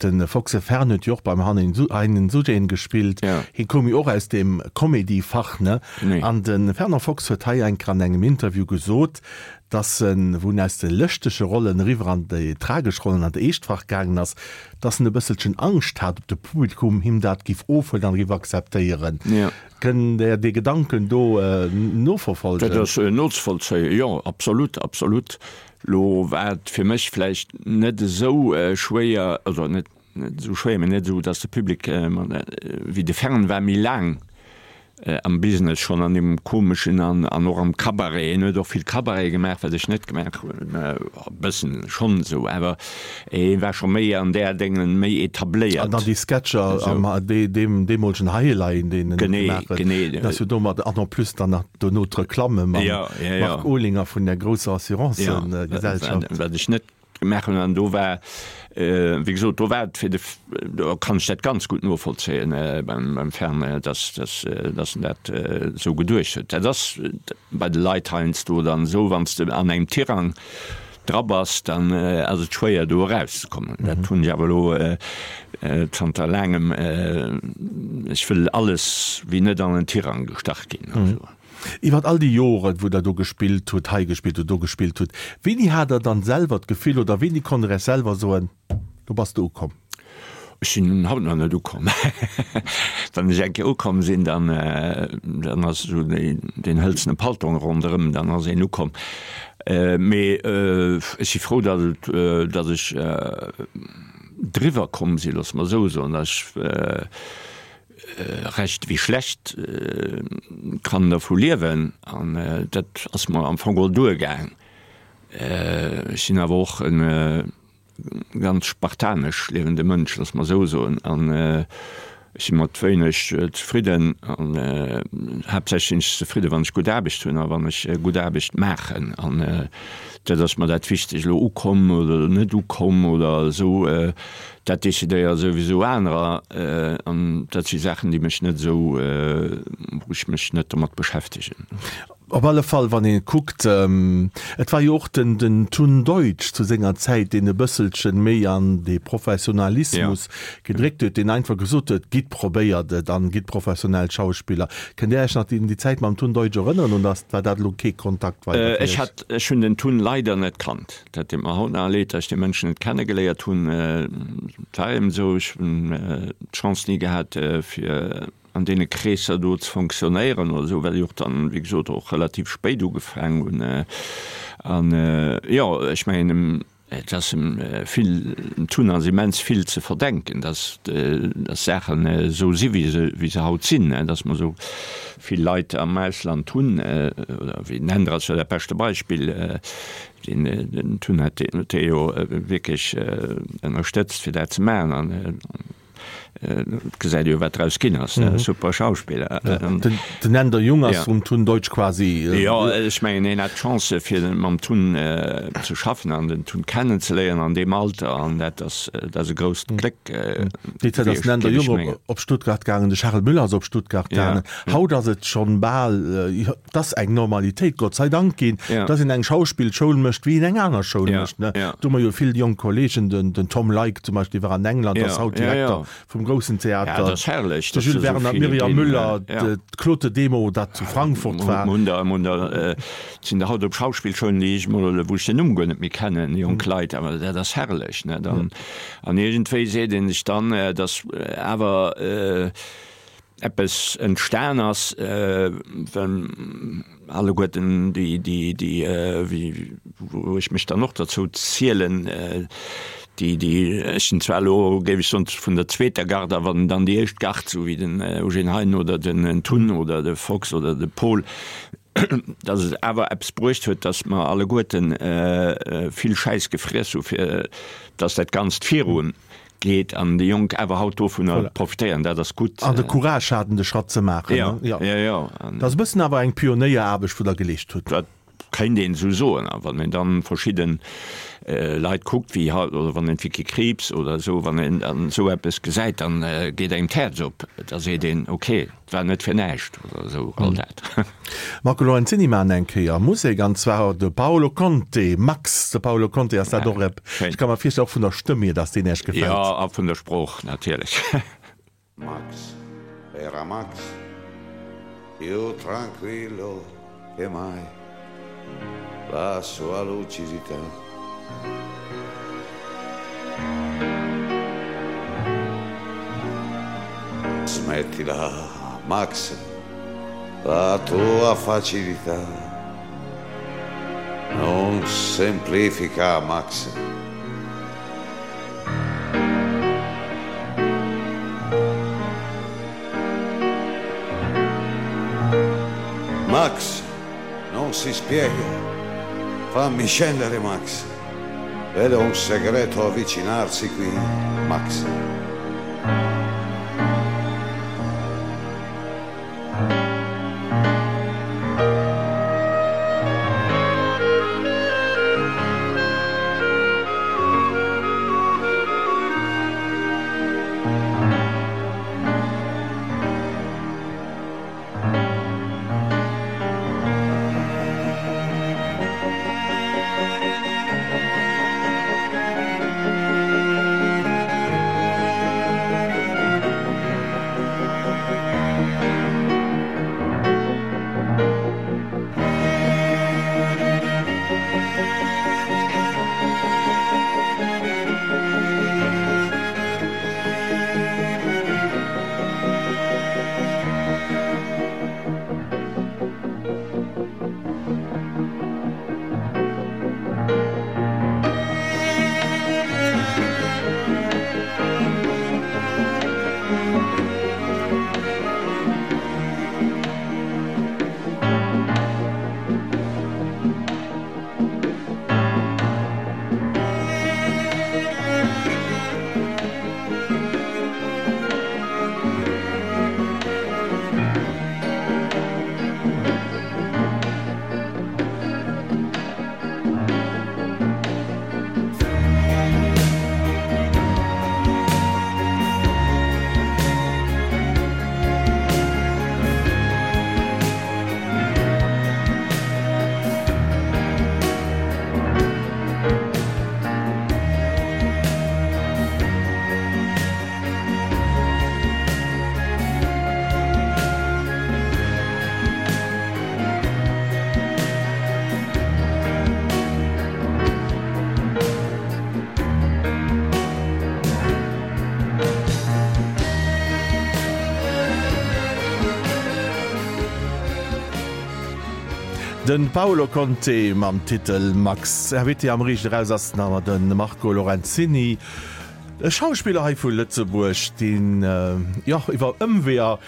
de Foxe Fern huet jo och beim Heinen Sujeen gespillt. Hie koum jo och aus deem Comedy-Fach, ne? An de Fernand Fox huet hei eng Kéier an engem Interview gesot, dass en, wou en aus de lëschtege Rollen eriwwer an déi tragesch Rollen an d'eescht Fach gaangen ass, dass en e bësselchen Angscht hat, ob de Publikum him dat giff ofhuelen an giff akzeptéieren. Kënnt Der dee Gedanken do noverfolgen? Dat ass nozevollzéien, jo, absolut, absolut. Lo war et fir mech vläicht net esou schwéier, also net esou schwéier, mee net esou, dass de Public wéi de Fern war méi laang am Business schonn, an deem komeschen an an och am Cabaret. Hien huet och vill Cabaret gemaach, wat ech net gemaach hunn, e bëssen schonn esou, awer hie war scho méi an där Déngen méi etabléiert. An dann déi Sketcher am deem deemolegen Highline, deen en gemaach huet, dat ass jo domat, an en plus dann nach dono d'Reklamme mam Marc Olinger vun der grousser Assurancegesellschaft. Wat ech net gemaach hunn an do war, wéi gesot, do war et fir de, do kann ech dat ganz gutt novollzéien beim Fern, dass, dass, dass en dat esou geduecht huet. Dat ass bei de Leit heiansdo dann esou, wann s de an engem Tirang dra bass, dann ass et schwéier do erauszekommen. Dat hunn ech awer elo zanter laangem, ech wëll alles wéi net an en Tirang gestach ginn. Iwwert all déi Joren, wou Der do gespillt hutt, hei gespillt hutt, do gespillt hutt, wéini hat Der dann selwer d'Gefill oder wéini konnt Der Iech selwer soen, Lo bass de ukomm? Ech sinn haut nach net ukomm. Wann ech eng Kéier ukomm sinn, dann, dann ass esou deen hëlzene Paltong ronderëm, dann ass een ukomm. Mee ech si frou, datt et, datt ech driwwer komm sinn, loosse mer esou soen, datt ech, Recht wéi schlecht kann dervu liewen an dat ass mer am Fong geholl duergaang. Ech sinn awer och e ganz spartanesch liewende Mënsch, loosse mer esou soen, an ech si mat wéineg zefridden an haaptsächlech sinn ech zefridde wann ech gutt Aarbecht hunn a wann ech gutt Aarbecht maachen an dat ass mer dat Wichtegt. Elo ukomm oder net ukomm oder esou, Dat decidéiere souwisou anerer an dat si Saachen, déi mech net esou, wou ech mech net domat beschäftegen. Op alle Fall, wann ee kuckt, et war jo och den den Tun Deutsch zu senger Zäit, deen e bësselchen méi an dee Professionalismus gedréckt huet, deen einfach gesot huet, Gitt, probéiert et an gitt professionell Schauspiller. Kënnt Dir Iech nach un déi Zäit mam Tun Deutsch erënneren oder war dat elo kee Kontakt weider fir Iech? Ech hunn den Tun leider net kannt. Dat deet mer haut nach leed, datt ech dee Mënsch net kennegeléiert hunn. Et war eben esou, ech hunn d'Chance ni gehat, fir an deene Kreesser do ze fonctionnéieren oder esou, well ech och dann, wéi gesot, och relativ spéit ugefaangen hunn. An jo, ech mengen, et ass em vill, dem Tun ass immens vill ze verdenken, datt datt Saachen esou si wéi se wéi se haut sinn, datt mer esou vill Leit am Ausland hunn, oder wéi den Änder ass jo dat beschte Beispill, Den Tun huet dee jo wierklech ënnerstëtzt fir dat ze maachen an. Et gesäit ee jo wat draus ginn ass, ne? Super Schauspiller. Den Änder Jung ass vum Tun Deutsch quasi. Jo, ech mengen hien hat d'Chance fir mam Tun ze schaffen an den Tun kennenzeléieren an deem Alter an dat ass dat ass e grousst Gléck Déi Zäit ass den Änder Jung op Stuttgart gaangen, de Charel Müller ass op Stuttgart gaangen. Haut ass et schonn bal, et ass eng Normalitéit, Gott sei Dank ginn, dass een eng Schauspillschoul mécht wéi een eng aner Schoul mécht. Do hu mer jo vill jonk Kollegen, den Tom Leick zum Beispill, dee war an England, ass haut Direkter vum groussen Theater, de Jules Werner, d'Myriam Müller, d'Clote Demo, dat zu Frankfurt war. Et sinn der haut op Schauspillschoulen, déi ech emol, wou ech den Numm guer net méi kennen, jonk Leit, awer dat ass herrlech. An iergendwéi seet ee sech dann, dass awer eppes entstan ass, well alleguerten déi, déi, déi, wéi, wou ech mech dann och derzou zielen, déi, déi, ech sinn zwar elo, géif ech soen, vun der zweeter Garde, awer dann déi éischt Gard, esou wéi den Eugène Hein oder den Tun oder de Fox oder de Paul, dass et awer eppes bruecht huet, dass mer alleguerten vill Schäiss gefriess hu fir dass dat Ganzt virun geet an déi Jonk awer haut dovunner profitéieren. Dat ass gutt. An de Courage haten de Schratt ze maachen. Jo, jo, jo. Dat ass e bëssen awer eng Pionéieraarbecht wou Der geleescht hutt. Dat kéint een esou soen. A wann een dann verschidden Leit kuckt wéi haut, oder wann een d'Vicky Krieps oder esou, wann een dann esou eppes gesäit, dann geet engem d'Häerz op. Da seet een, okay. War net fir näischt oder esou all dat. Marco Lorenzini maan eng Kéier Musek an zwar de Paolo Conte. Max, de Paolo Conte ass dat och ep. Ech ka mer virstellen och vun der Stëmm hier, dass deen Äech gefält. Jo, a vun der Sprooch natierlech. Max era Max, più tranquillo che mai, la sua lucidità. Smettila, Max, la tua facilità. Non semplifica, Max. Max non si spiega. Fammi scendere, Max. Vedo un segreto avvicinarsi qui, Max. Den Paolo Conte mam Titel Max. Invité am Riicht Eraus ass nach ëmmer de Marco Lorenzini, e Schauspiller hei vu Lëtzebuerg, deen jo iwwer Ëmweeër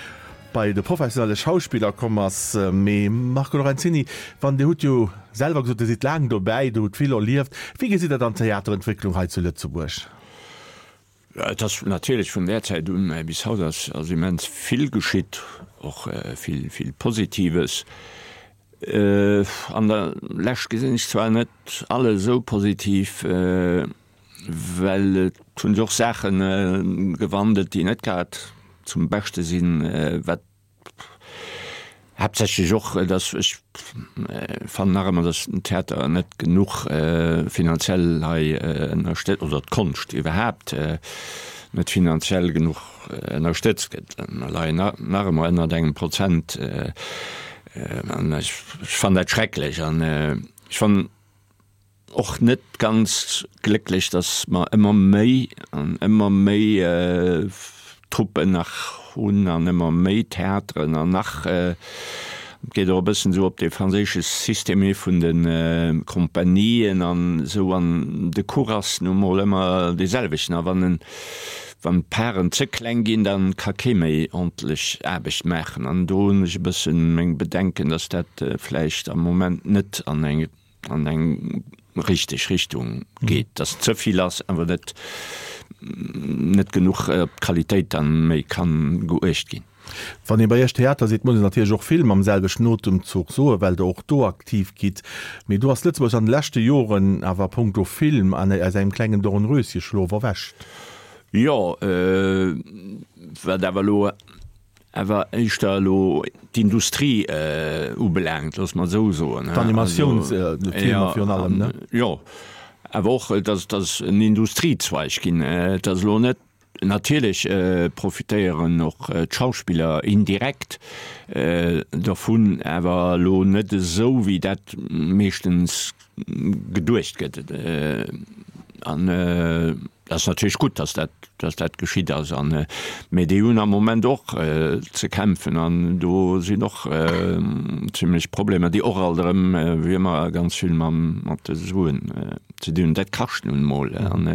bei de professionelle Schauspiller komm ass. Mee Marco Lorenzini, wann Dir hutt jo selwer gesot, Dir sidd laang dobäi, Dir hutt vill erlieft. Wéi gesitt Der dann d'Theaterentwécklung hei zu Lëtzebuerg? Et ass natierlech vun där Zäit un bis haut ass ass immens vill geschitt, och vill vill Positives. An der Lescht gesinn ech zwar net alles esou positiv, well et hu sech och Saache gewandelt, déi net grad zum Beschte sinn, wat Haaptsächlech och, dass ech fannen nach ëmmer, dass den Theater net genuch finanziell hei ënnerstëtzt, oder d'Konscht iwwerhaapt net finanziell genuch ënnerstëtzt gëtt. Mer leien nach ëmmer ënnert engem Prozent an ech fannen dat schrecklech an ech fannen, Och net ganz glécklech, datt mer ëmmer méi an ëmmer méi Truppen nach hunn an ëmmer méi Theateren an nach, et geet och e bëssen esou op dee franséische System hi vun de Kompanien an esou an de Cours ass nu mol ëmmer dee selwechten a wann en, wann d'Paren ze kleng ginn, da ka kee méi ordentlech Aarbecht maachen an do hunn ech e bëssen meng Bedenken, datt dat vläicht am Moment net an eng an eng richteg Richtung geet, dass ze vill ass, awer net net genuch op d'Qualitéit dann méi kann geuecht ginn. Wann ee bei Iech Theater seet, muss een natierlech och Film am selwechten Otemzuch soen, well Der och do aktiv gitt. Mee do ass Lëtzebuerg an de leschte Joren awer a punkto Film an aus engem klengen Dornröschenschlof erwächt. Jo, wat awer elo Awer éischter elo d'Industrie ubelaangt, loosse mer et esou soen. D'Animatiounsfilmer virun allem, ne? Jo, awer och, datt et ass en Industriezweig ginn. Et ass elo net, natierlech profitéieren och d'Schauspiller indirekt dovun, awer elo net esou, wéi dat meeschtens geduecht gëtt. An et ass natierlech gutt, datt dat, datt dat geschitt ass. An, mee déi hunn am Moment och ze kämpfen an do sinn och zimlech Problemer, déi och alt erëm, wéi ëmmer, ganz vill mam, mat de Suen ze dinn hunn. Dat kascht nun emol. An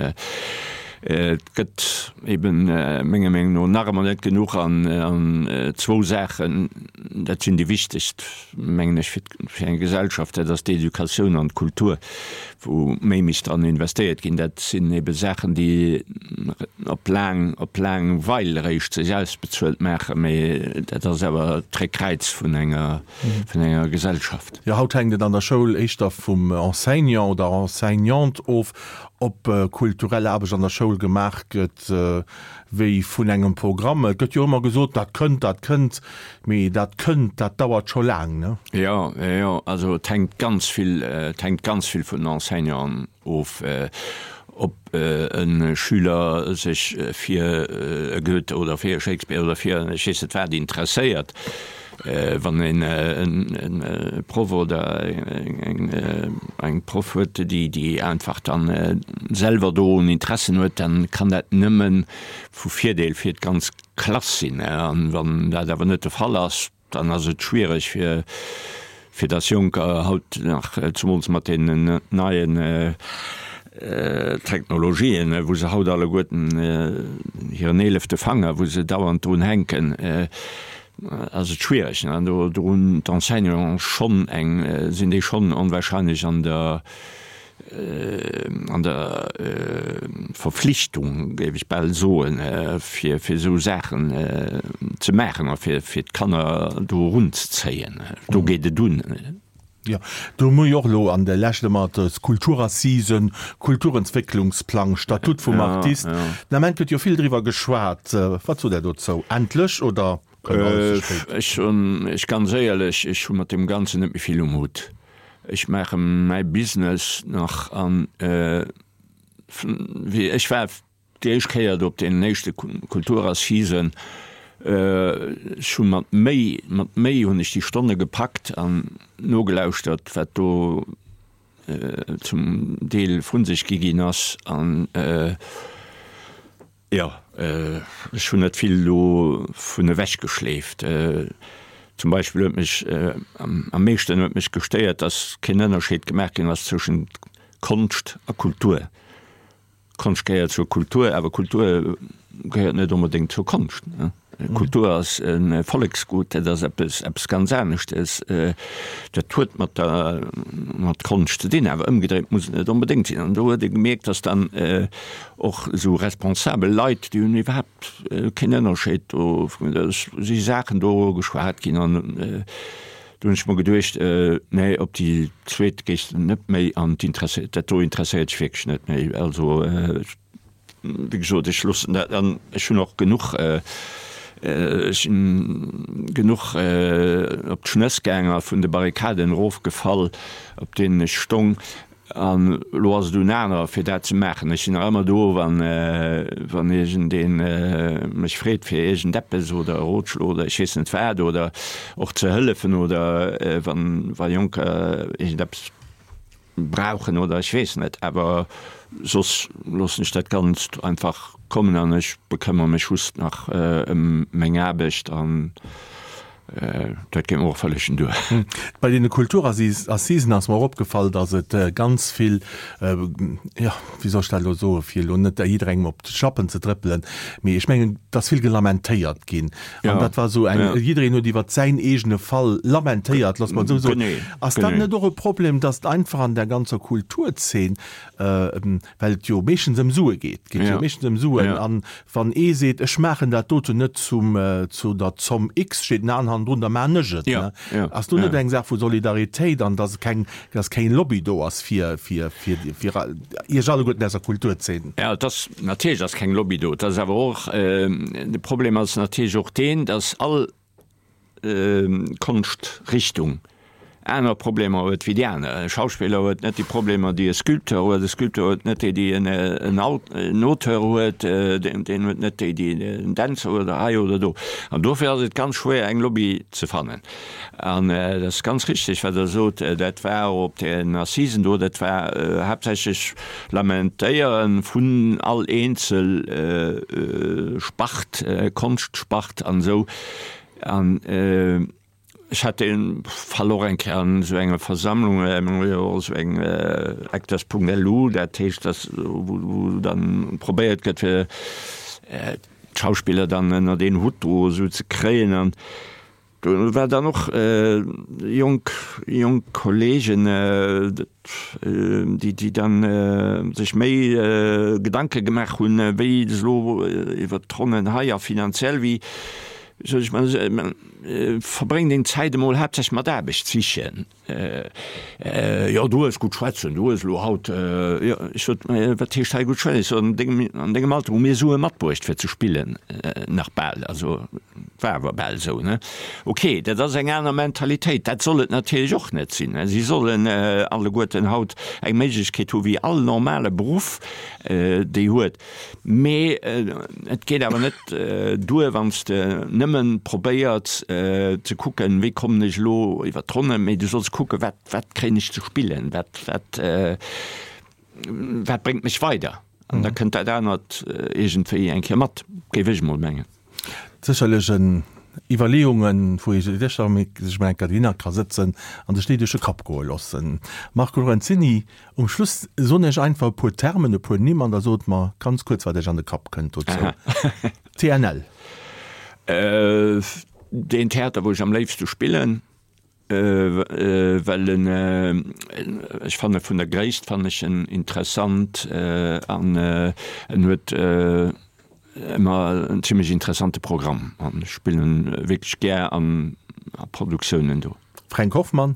et gëtt eben menger Meenung no nach ëmmer net genuch an, an zwou Saachen, dat sinn déi wichtegst, mengen ech, fir, fir eng Gesellschaft, dat ass d'Educatioun an d'Kultur. wou méi misst dran investéiert ginn, dat sinn ebe Saachen, déi op laang, op laang Weil eréischt sech ausbezuelt maachen, mee dat ass awer d'Réckkräiz vun enger, vun enger Gesellschaft. Jo, haut hänkt et an der Schoul éischter vum Enseignant oder Enseignante of, ob kulturell Aarbecht an der Schoul gemaach gëtt, wéi vun engem Programm. Et gëtt jo ëmmer gesot, dat kënnt, dat kënnt, mee dat kënnt, dat dauert scho laang, ne? Jo, jo, also et hänkt ganz vill, et hänkt ganz vill vun den Enseignanten of, ob e Schüler sech fir e Goethe oder fir e Shakespeare oder fir ech weess net wat interesséiert. Wann een e Proff oder eng Proff huet, déi einfach dann selwer do en Interessen huet, dann kann dat nëmme vu Virdeel fir d'ganz Klass sinn. An wann dat awer net de Fall ass, dann ass et schwiereg fir fir dass Jonker haut nach, zumools mat deenen neien Technologien, wou se haut alleguerten hiren eelefte Fanger, wou se dauernd drun hänken, ass et schwiereg. An do hunn d'Enseignanten schonn eng, sinn déi schonn onwahrscheinlech an der, an der Verflichtung, géif ech bal soen, fir fir esou Saachen ze maachen a fir fir d'Kanner do erunzezéien. Do geet et un. Jo, do hu mer jo och elo an der Lescht ëmmer d'Kulturassisen, Kulturentwécklungsplang, Statut vum Artist. Den Ament gëtt jo vill driwwer geschwat. Wat sot Der dozou? Endlech oder kënnt alles ze spéit? Ech hunn, ech ganz éierlech, ech hu mat deem Ganzen net méi vill um Hutt. Ech maache mäi Business nach an wéi ech war Déi éischt Kéier do op deenen éischte Kulturassisen, ech hu mat Méi, mat Méi hunn ech déi Stonne gepackt an nogelauschtert, wat do zum Deel vu sech gi ginn ass. An jo, ech hunn net vill dovun ewechgeschleeft. Zum Beispill huet mech am meeschten huet mech gestéiert, datt keen Ënnerscheed gemaach ginn ass zwëschent Konscht a Kultur. Konscht gehéiert zur Kultur, awer Kultur gehéiert net onbedéngt zur Konscht. Kultur ass e Volleksgut, dat ass eppes, eppes ganz aneschtes. Dat huet mat der, mat Konscht ze dinn, awer ëmgedréit muss et net onbedéngt sinn. An do huet ee gemierkt, datt dann och esou responsabel Leit, déi hunn iwwerhaapt keen Ënnerscheed do, et si Saachen do geschwat ginn an do hunn ech mer geduecht, nee, op déi zweet gees de net méi an, dat do interesséiert dech wierklech net méi. Also Wéi gesot, ech loossen dat an ech hunn och genuch, ech sinn genuch op d'Schnëss gaang a vun de Barrikaden erofgefall, op deenen ech stong. An elo ass et un anerer, fir dat ze maachen. Ech sinn nach ëmmer do, wann, wann iergendee mech freet fir iergendeppes oder e Rotschlo oder ech weess net wat oder och ze hëllefen oder wann, wa Jonker iergendeppes brauchen oder ech weess net, awer soss loossen ech dat Ganzt einfach kommen an ech bekëmmere mech just nach ëm meng Aarbecht an dat geet mer och vëllegen duer. Bei deene Kulturassisen ass mer och opgefall, datt et ganz vill, jo, wéi soll ech dat elo soen, fir elo net jidderengem op d'Schlappen ze trëppelen, mee ech mengen, et ass vill gelamentéiert ginn. An dat war esou eng, jiddereen huet iwwert säin eegene Fall lamentéiert, looss mer et esou soen. Ass dat net och e Problem, datt einfach an der ganzer Kulturzeen, well et jo meeschtens ëm Sue geet, et geet jo meeschtens ëm Suen, an wann ee seet, ech maachen dat doten net zum, zu der Zomm X, steet en aneren hannendrun, da maachen ech et, ne? Ass do net eng Saach vu Solidaritéit an datt keng, datt keng Lobby do ass fir, fir, fir, fir Iech alleguerten aus der Kulturzeen? Jo, et ass, natierlech ass keng Lobby do. Et ass awer och, de Problem ass natierlech och deen, datt all Konschtrichtung aner Problemer huet wéi déi aner. E Schauspiller huet net déi Problemer, déi e Sculpteur huet, e Sculpteur huet net déi, déi en Auteur huet, deen huet net déi, déi en Dänzer huet oder hei oder do. An dofir ass et ganz schwéier, eng Lobby ze fannen. An et ass ganz richtig, wat Der sot, dat war op den Assisen do, dat war haaptsächlech Lamentéiere vun all eenzel Spart, Konschtspart an esou. An ech hat dee Fall och eng Kéier an esou enger Versammlung, mir hu jo och esou eng Acteurs.lu, dat heescht, dass wou dann probéiert gëtt, fir d'Schauspiller dann ënnert een Hutt do esou ze kréien. An Do war dann och jonk, jonk Kollegen, déi, déi dann sech méi Gedanke gemaach hunn, wéi et elo iwwert d'Ronnen hei a finanziell, wéi soll ech mol soen, verbréng deng Zäit emol haaptsächlech mat Aarbecht sichen. Jo, du hues gutt schwätzen, du hues elo haut, jo, ech sot, mä wat heescht hei gutt schwätzen? Ech sot, an dengem, an dengem Alter hu mir Sue matbruecht fir ze spillen, nach bal, also war awer bal esou, ne? Ok, dat ass eng aner Mentalitéit, dat soll et natierlech och net sinn. Si sollen alleguerten haut eng Méiglechkeet hu wéi all normale Beruff déi huet. Mee et geet awer net duer, wann s de nëmme probéiers ze kucken, wéi kommen ech elo iwwer d'Ronne, mee du solls kucken, wat, wat kréien ech ze spillen, wat, wat, wat bréngt mech weider. An da kënnt dat anert iergendwéi eng Kéier mat, géif ech emol mengen. Sécherlech en Iwwerleeungen, wou ee sécher sech mol eng Kéier dohinner ka sëtzen an sech déi duerch de Kapp goe loossen. Marco Lorenzini, um Schluss soen ech einfach e puer Termen, e puer Nimm an da sot mer ganz kuerz, wat Iech an de Kapp kënnt dozou. TNL. Deen Theater, wou ech am léifste spillen. Well en, ech fanne vun der Gréisst fannen ech en interessant an en huet ëmmer en zimlech interessante Programm an ech spillen wierklech gär an Produktiounen do. Fränk Hoffmann?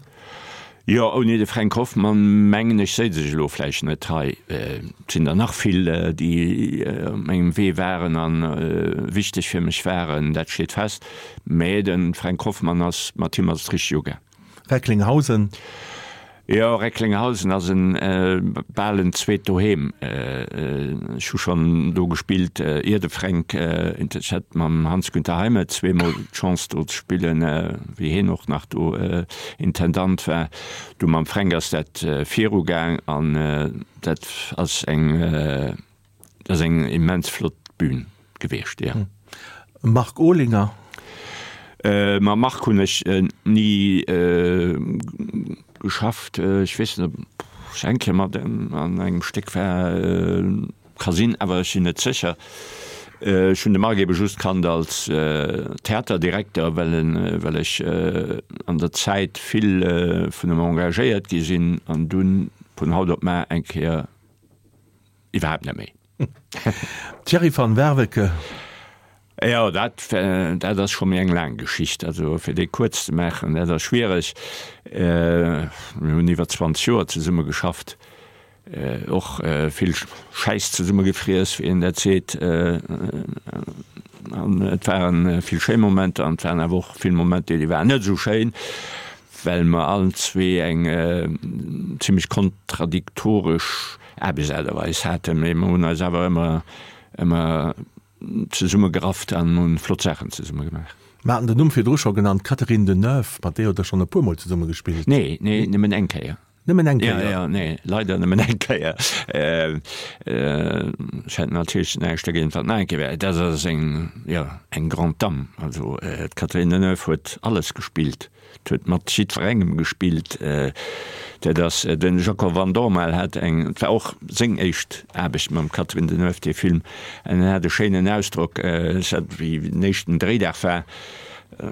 Jo, ouni de Fränk Hoffmann mengen ech séiz ech elo vläicht net hei. Et sinn der nach vill, déi op mengem Wee waren a wichteg fir mech waren, dat steet fest. Mä de Fränk Hoffmann ass, mat him ass et richteg ugaang. Recklinghausen? Jo, Recklinghausen ass en bal en zweet Doheem. Ech hu schonn do gespillt, ier de Fränk, ech hat mam Hans-Günter Heime zweemol d'Chance do ze spillen, wéi hien och nach do Intendant war. Du mam Fränk ass dat virugaang an dat ass eng, dat ass eng immens flott Bühn gewiescht, jo. Marc Olinger? Mam Marc hunn ech ni geschafft. Ech weess net, ob ech eng Kéier mat em an engem Stéck war. Ka sinn, awer ech sinn net sécher. Ech hunn de Marc ebe just kannt als Theaterdirekter, well en, well ech an der Zäit vill vun em engagéiert gi sinn an dunn vun haut op mar eng Kéier iwwerhaapt net méi. Thierry van Werveke. Jo, dat, dat ass scho méi eng laang Geschicht. Also fir déi kuerz ze maachen, dat ass schwiereg. Mir hunn iwwer 20 Joer zesumme geschafft, och vill Schäiss zesumme gefriess, wéi een dat seet. An et ware vill schéi Momenter an et waren awer och vill Momenter, déi waren net esou schéin, well mer allen zwee eng zimmlech kontradiktoresch Aarbechtsaart a Weis haten. Mee mer hunn eis awer ëmmer, ëmmer zesumme gerafft an hunn flott Saachen zesumme gemaach. Mer haten den Numm virdru scho genannt, d'Catherine Deneuve, mat deer hutt Der schonn e puer Mol zesumme gespillt. Nee, nee, nëmmen eng Kéier. Nëmmen eng Kéier? Ja, ja, nee, leider nëmmen eng Kéier. Ech hätt natierlech näischt dergéint, wann et nach eng Kéier wär. Dat ass eng, jo, eng grande dame. Also d'Catherine Deneuve huet alles gespillt. Et huet mat jiddwerengem gespillt. Dat ass de Jacob Van Dormael hat eng, et war och seng éischt Aarbecht mam Catherine Deneuve, dee Film, an en hat e schéinen Ausdrock, ech hat, wéi den éischten Dréidag war,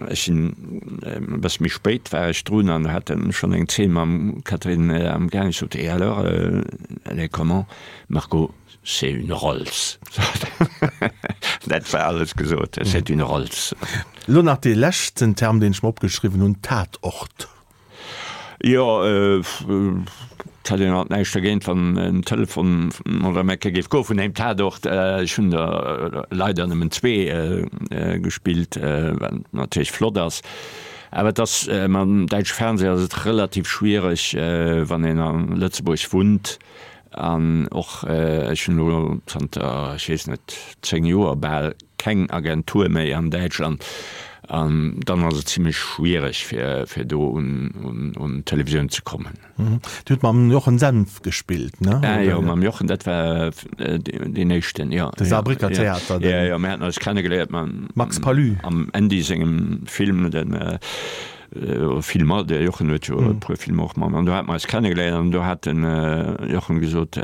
ech sinn e bësse méi spéit war ech drun an hat en schonn eng Zeen mam Catherine am Gaang, ech sot, et alors, elle est comment, Marco? C'est une Rolls. Dat war alles gesot, c'est une Rolls. Elo nach dee leschten Term, deen ech mer opgeschriwwen hunn, Tatort. Jo, et hätt een alt näischt dergéint, wann en Telefon oder eng Kéier géif goe vun engem Tatort. Ech hunn der leider nëmmen zwee gespillt, wat natierlech flott ass. Awer et ass, mam däitsche Fernseh ass et relativ schwiereg, wann een a Lëtzebuerg wunnt, An och ech hunn elo zanter, ech weess net, 10 Joer bal keng Agentur méi an Däitschland. An dann ass et zimlech schwiereg, fir do un d'Televisioun ze kommen. Dir hutt mam Jochen Senf gespillt, ne? Ah jo, mam Jochen, dat war deen éischten, jo. De Saarbrécker Theater. Jo, jo, mir haten eis kennegeléiert mam Max Palud. Am Andy sengem Film, den. Filmer, de Jochen huet jo e puer Filmer och mat, an do hate mer eis kennegeléiert an do hat den Jochen gesot,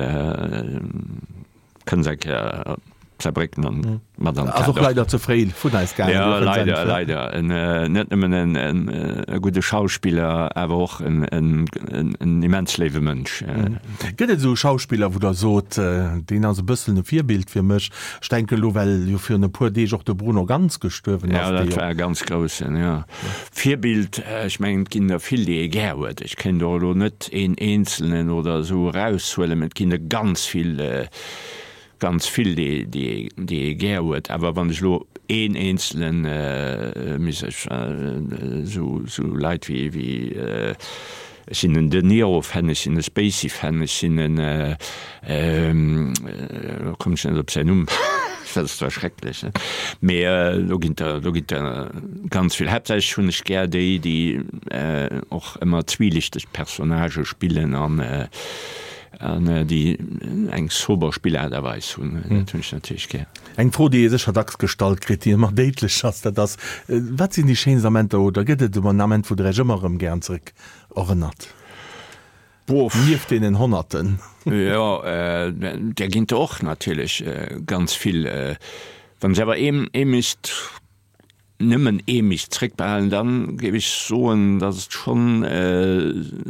kënns eng Kéier op Saarbrécken an mat an Ass och leider ze fréi vun eis gaangen, de Jochen Senf. Jo, leider, leider. En, net nëmmen en e gudde Schauspiller, awer och en en immens léiwe Mënsch. Gëtt et esou e Schauspiller, wou Der sot, deen ass e bëssen e Virbild fir mech? Ech denken elo, well jo virun e puer Deeg och de Bruno Ganz gestuerwen ass. Jo, dat war e ganz groussen, jo. Virbild, ech mengen, et ginn der vill, déi ee gär huet. Ech kéint och elo net een eenzelnen oder esou eraushuelen, mä et ginn der ganz vill, ganz vill, déi, déi, déi ee gär huet. Awer wann ech elo een eenzelen misst, ech, esou, esou Leit wéi, wéi, Ech sinn en De Niro-Fan, ech sinn e Spacey-Fan, ech sinn en, elo kommen ech net op säin Numm, dat ass zwar schrecklech, mee do ginn der, do ginn der ganz vill. Haaptsächlech hunn ech gär déi, déi och ëmmer zwielichteg Personnagë spillen an an déi eng sober Spillaart a Weis hunn, dat hunn ech natierlech gär. Eng Fro, déi ee sécher dacks gestallt kritt, déi ëmmer déidlech ass, dat ass, Wat sinn déi schéinst Amenter oder gëtt et en Ament, wou Der Iech ëmmer erëm gären zeréck erënnert? Nieft deenen Honnerten. Jo, där ginn der och natierlech ganz vill. Wann ech awer ee misst, nëmmen ee misst zréckbehalen, da géif ech soen, datt et schonn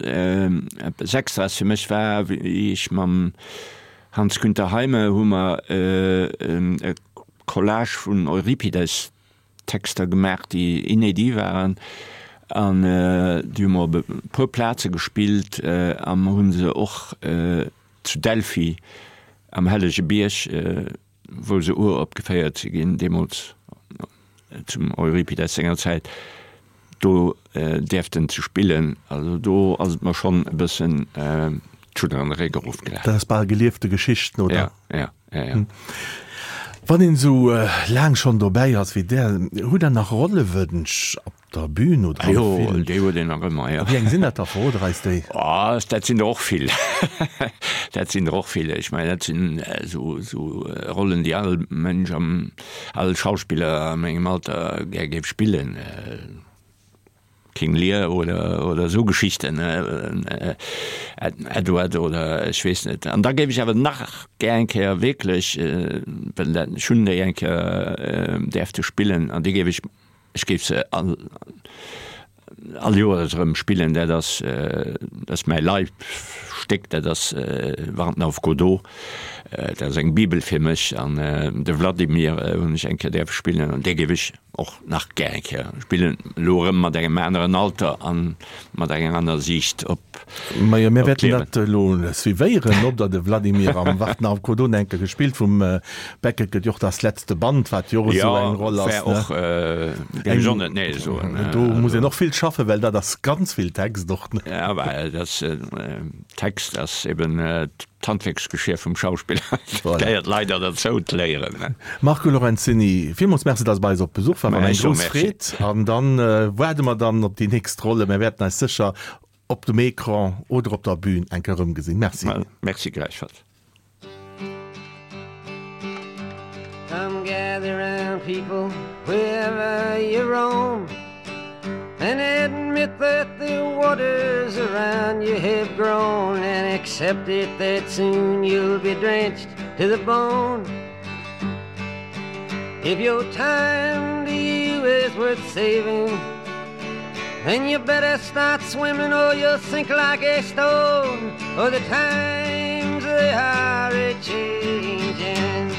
eppes Extraes fir mech war, wéi ech mam Hans-Günter Heime hu mer e Collage vun Euripides Texter gemaach, déi inédit waren, an déi hu mer op e puer Plaze gespillt a mer hu se och zu Delphi am Hellege Bierg, wou se uropgeféiert si ginn, deemools zum Euripides senger Zäit, do däerften ze spillen. Also do ass et mer schonn e bëssen d'Schudder an de Réck erofgelaf. Dat ass bal geliefte Geschichten, oder? Ja, ja, ja, ja. Wann een esou laang schonn dobäi ass wéi Der, hutt Der nach Rollewënsch op der Bühn oder am Film? Jo, déi huet een nach ëmmer, jo. Wéi eng sinn dat da? Verrot eis déi. Oh, dat sinn der och vill. Dat sinn der och vill. Ech mengen, dat sinn esou, esou Rollen, déi all Mënsch am, all Schauspiller a mengem Alter gär géif spillen. King Lear oder oder esou Geschichten, Edward oder ech weess net. An da géif ech awer nach gär eng Kéier wierklech, well dat, ech hunn déi eng Kéier däerfte spillen an déi géif ech, ech géif se all all Joers erëm spillen, dat ass dat ass mäi Leibstéck, dat ass Warten auf Godot, dat ass eng Bibel fir mech an de Vladimir hunn ech eng Kéier däerfe spillen an dee géif ech och nach gär eng Kéier spillen, elo erëm mat engem aneren Alter a mat enger aner Siicht op Majo, mir wäerten dat elo suivéieren, ob der de Vladimir am Warten auf Godot eng Kéier gespillt vum Beckett gëtt jo och Das letzte Band, wat jo och esou eng Roll ass, ne? Jo, wär och, géif ech och net nee soen. Do muss een och vill schaffen, well dat ass ganz vill Text och, ne? Ja, well dat Text ass eben D'Handwierksgeschier vum Schauspiller gehéiert leider derzou, d'Léieren. Marco Lorenzini, villmools Merci, dass Der bei eis op Besuch waart. War eng grouss Freed. An dann waarde mer dann op déi nächst Rolle. Mir wäerten eis sécher op dem Ecran oder op der Bühn eng Kéier erëmgesinn. Merci. Merci gläichfalls. Come gather round people wherever you roam And admit that the waters around you have grown And accept it that soon you'll be drenched to the bone If your time to you is worth saving Then you better start swimming or you'll sink like a stone Or the times they are a-changing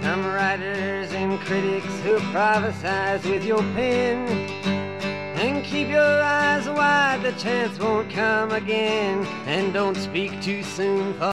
Some writers and critics who prophesize with your pen And keep your eyes wide, the chance won't come again And don't speak too soon for.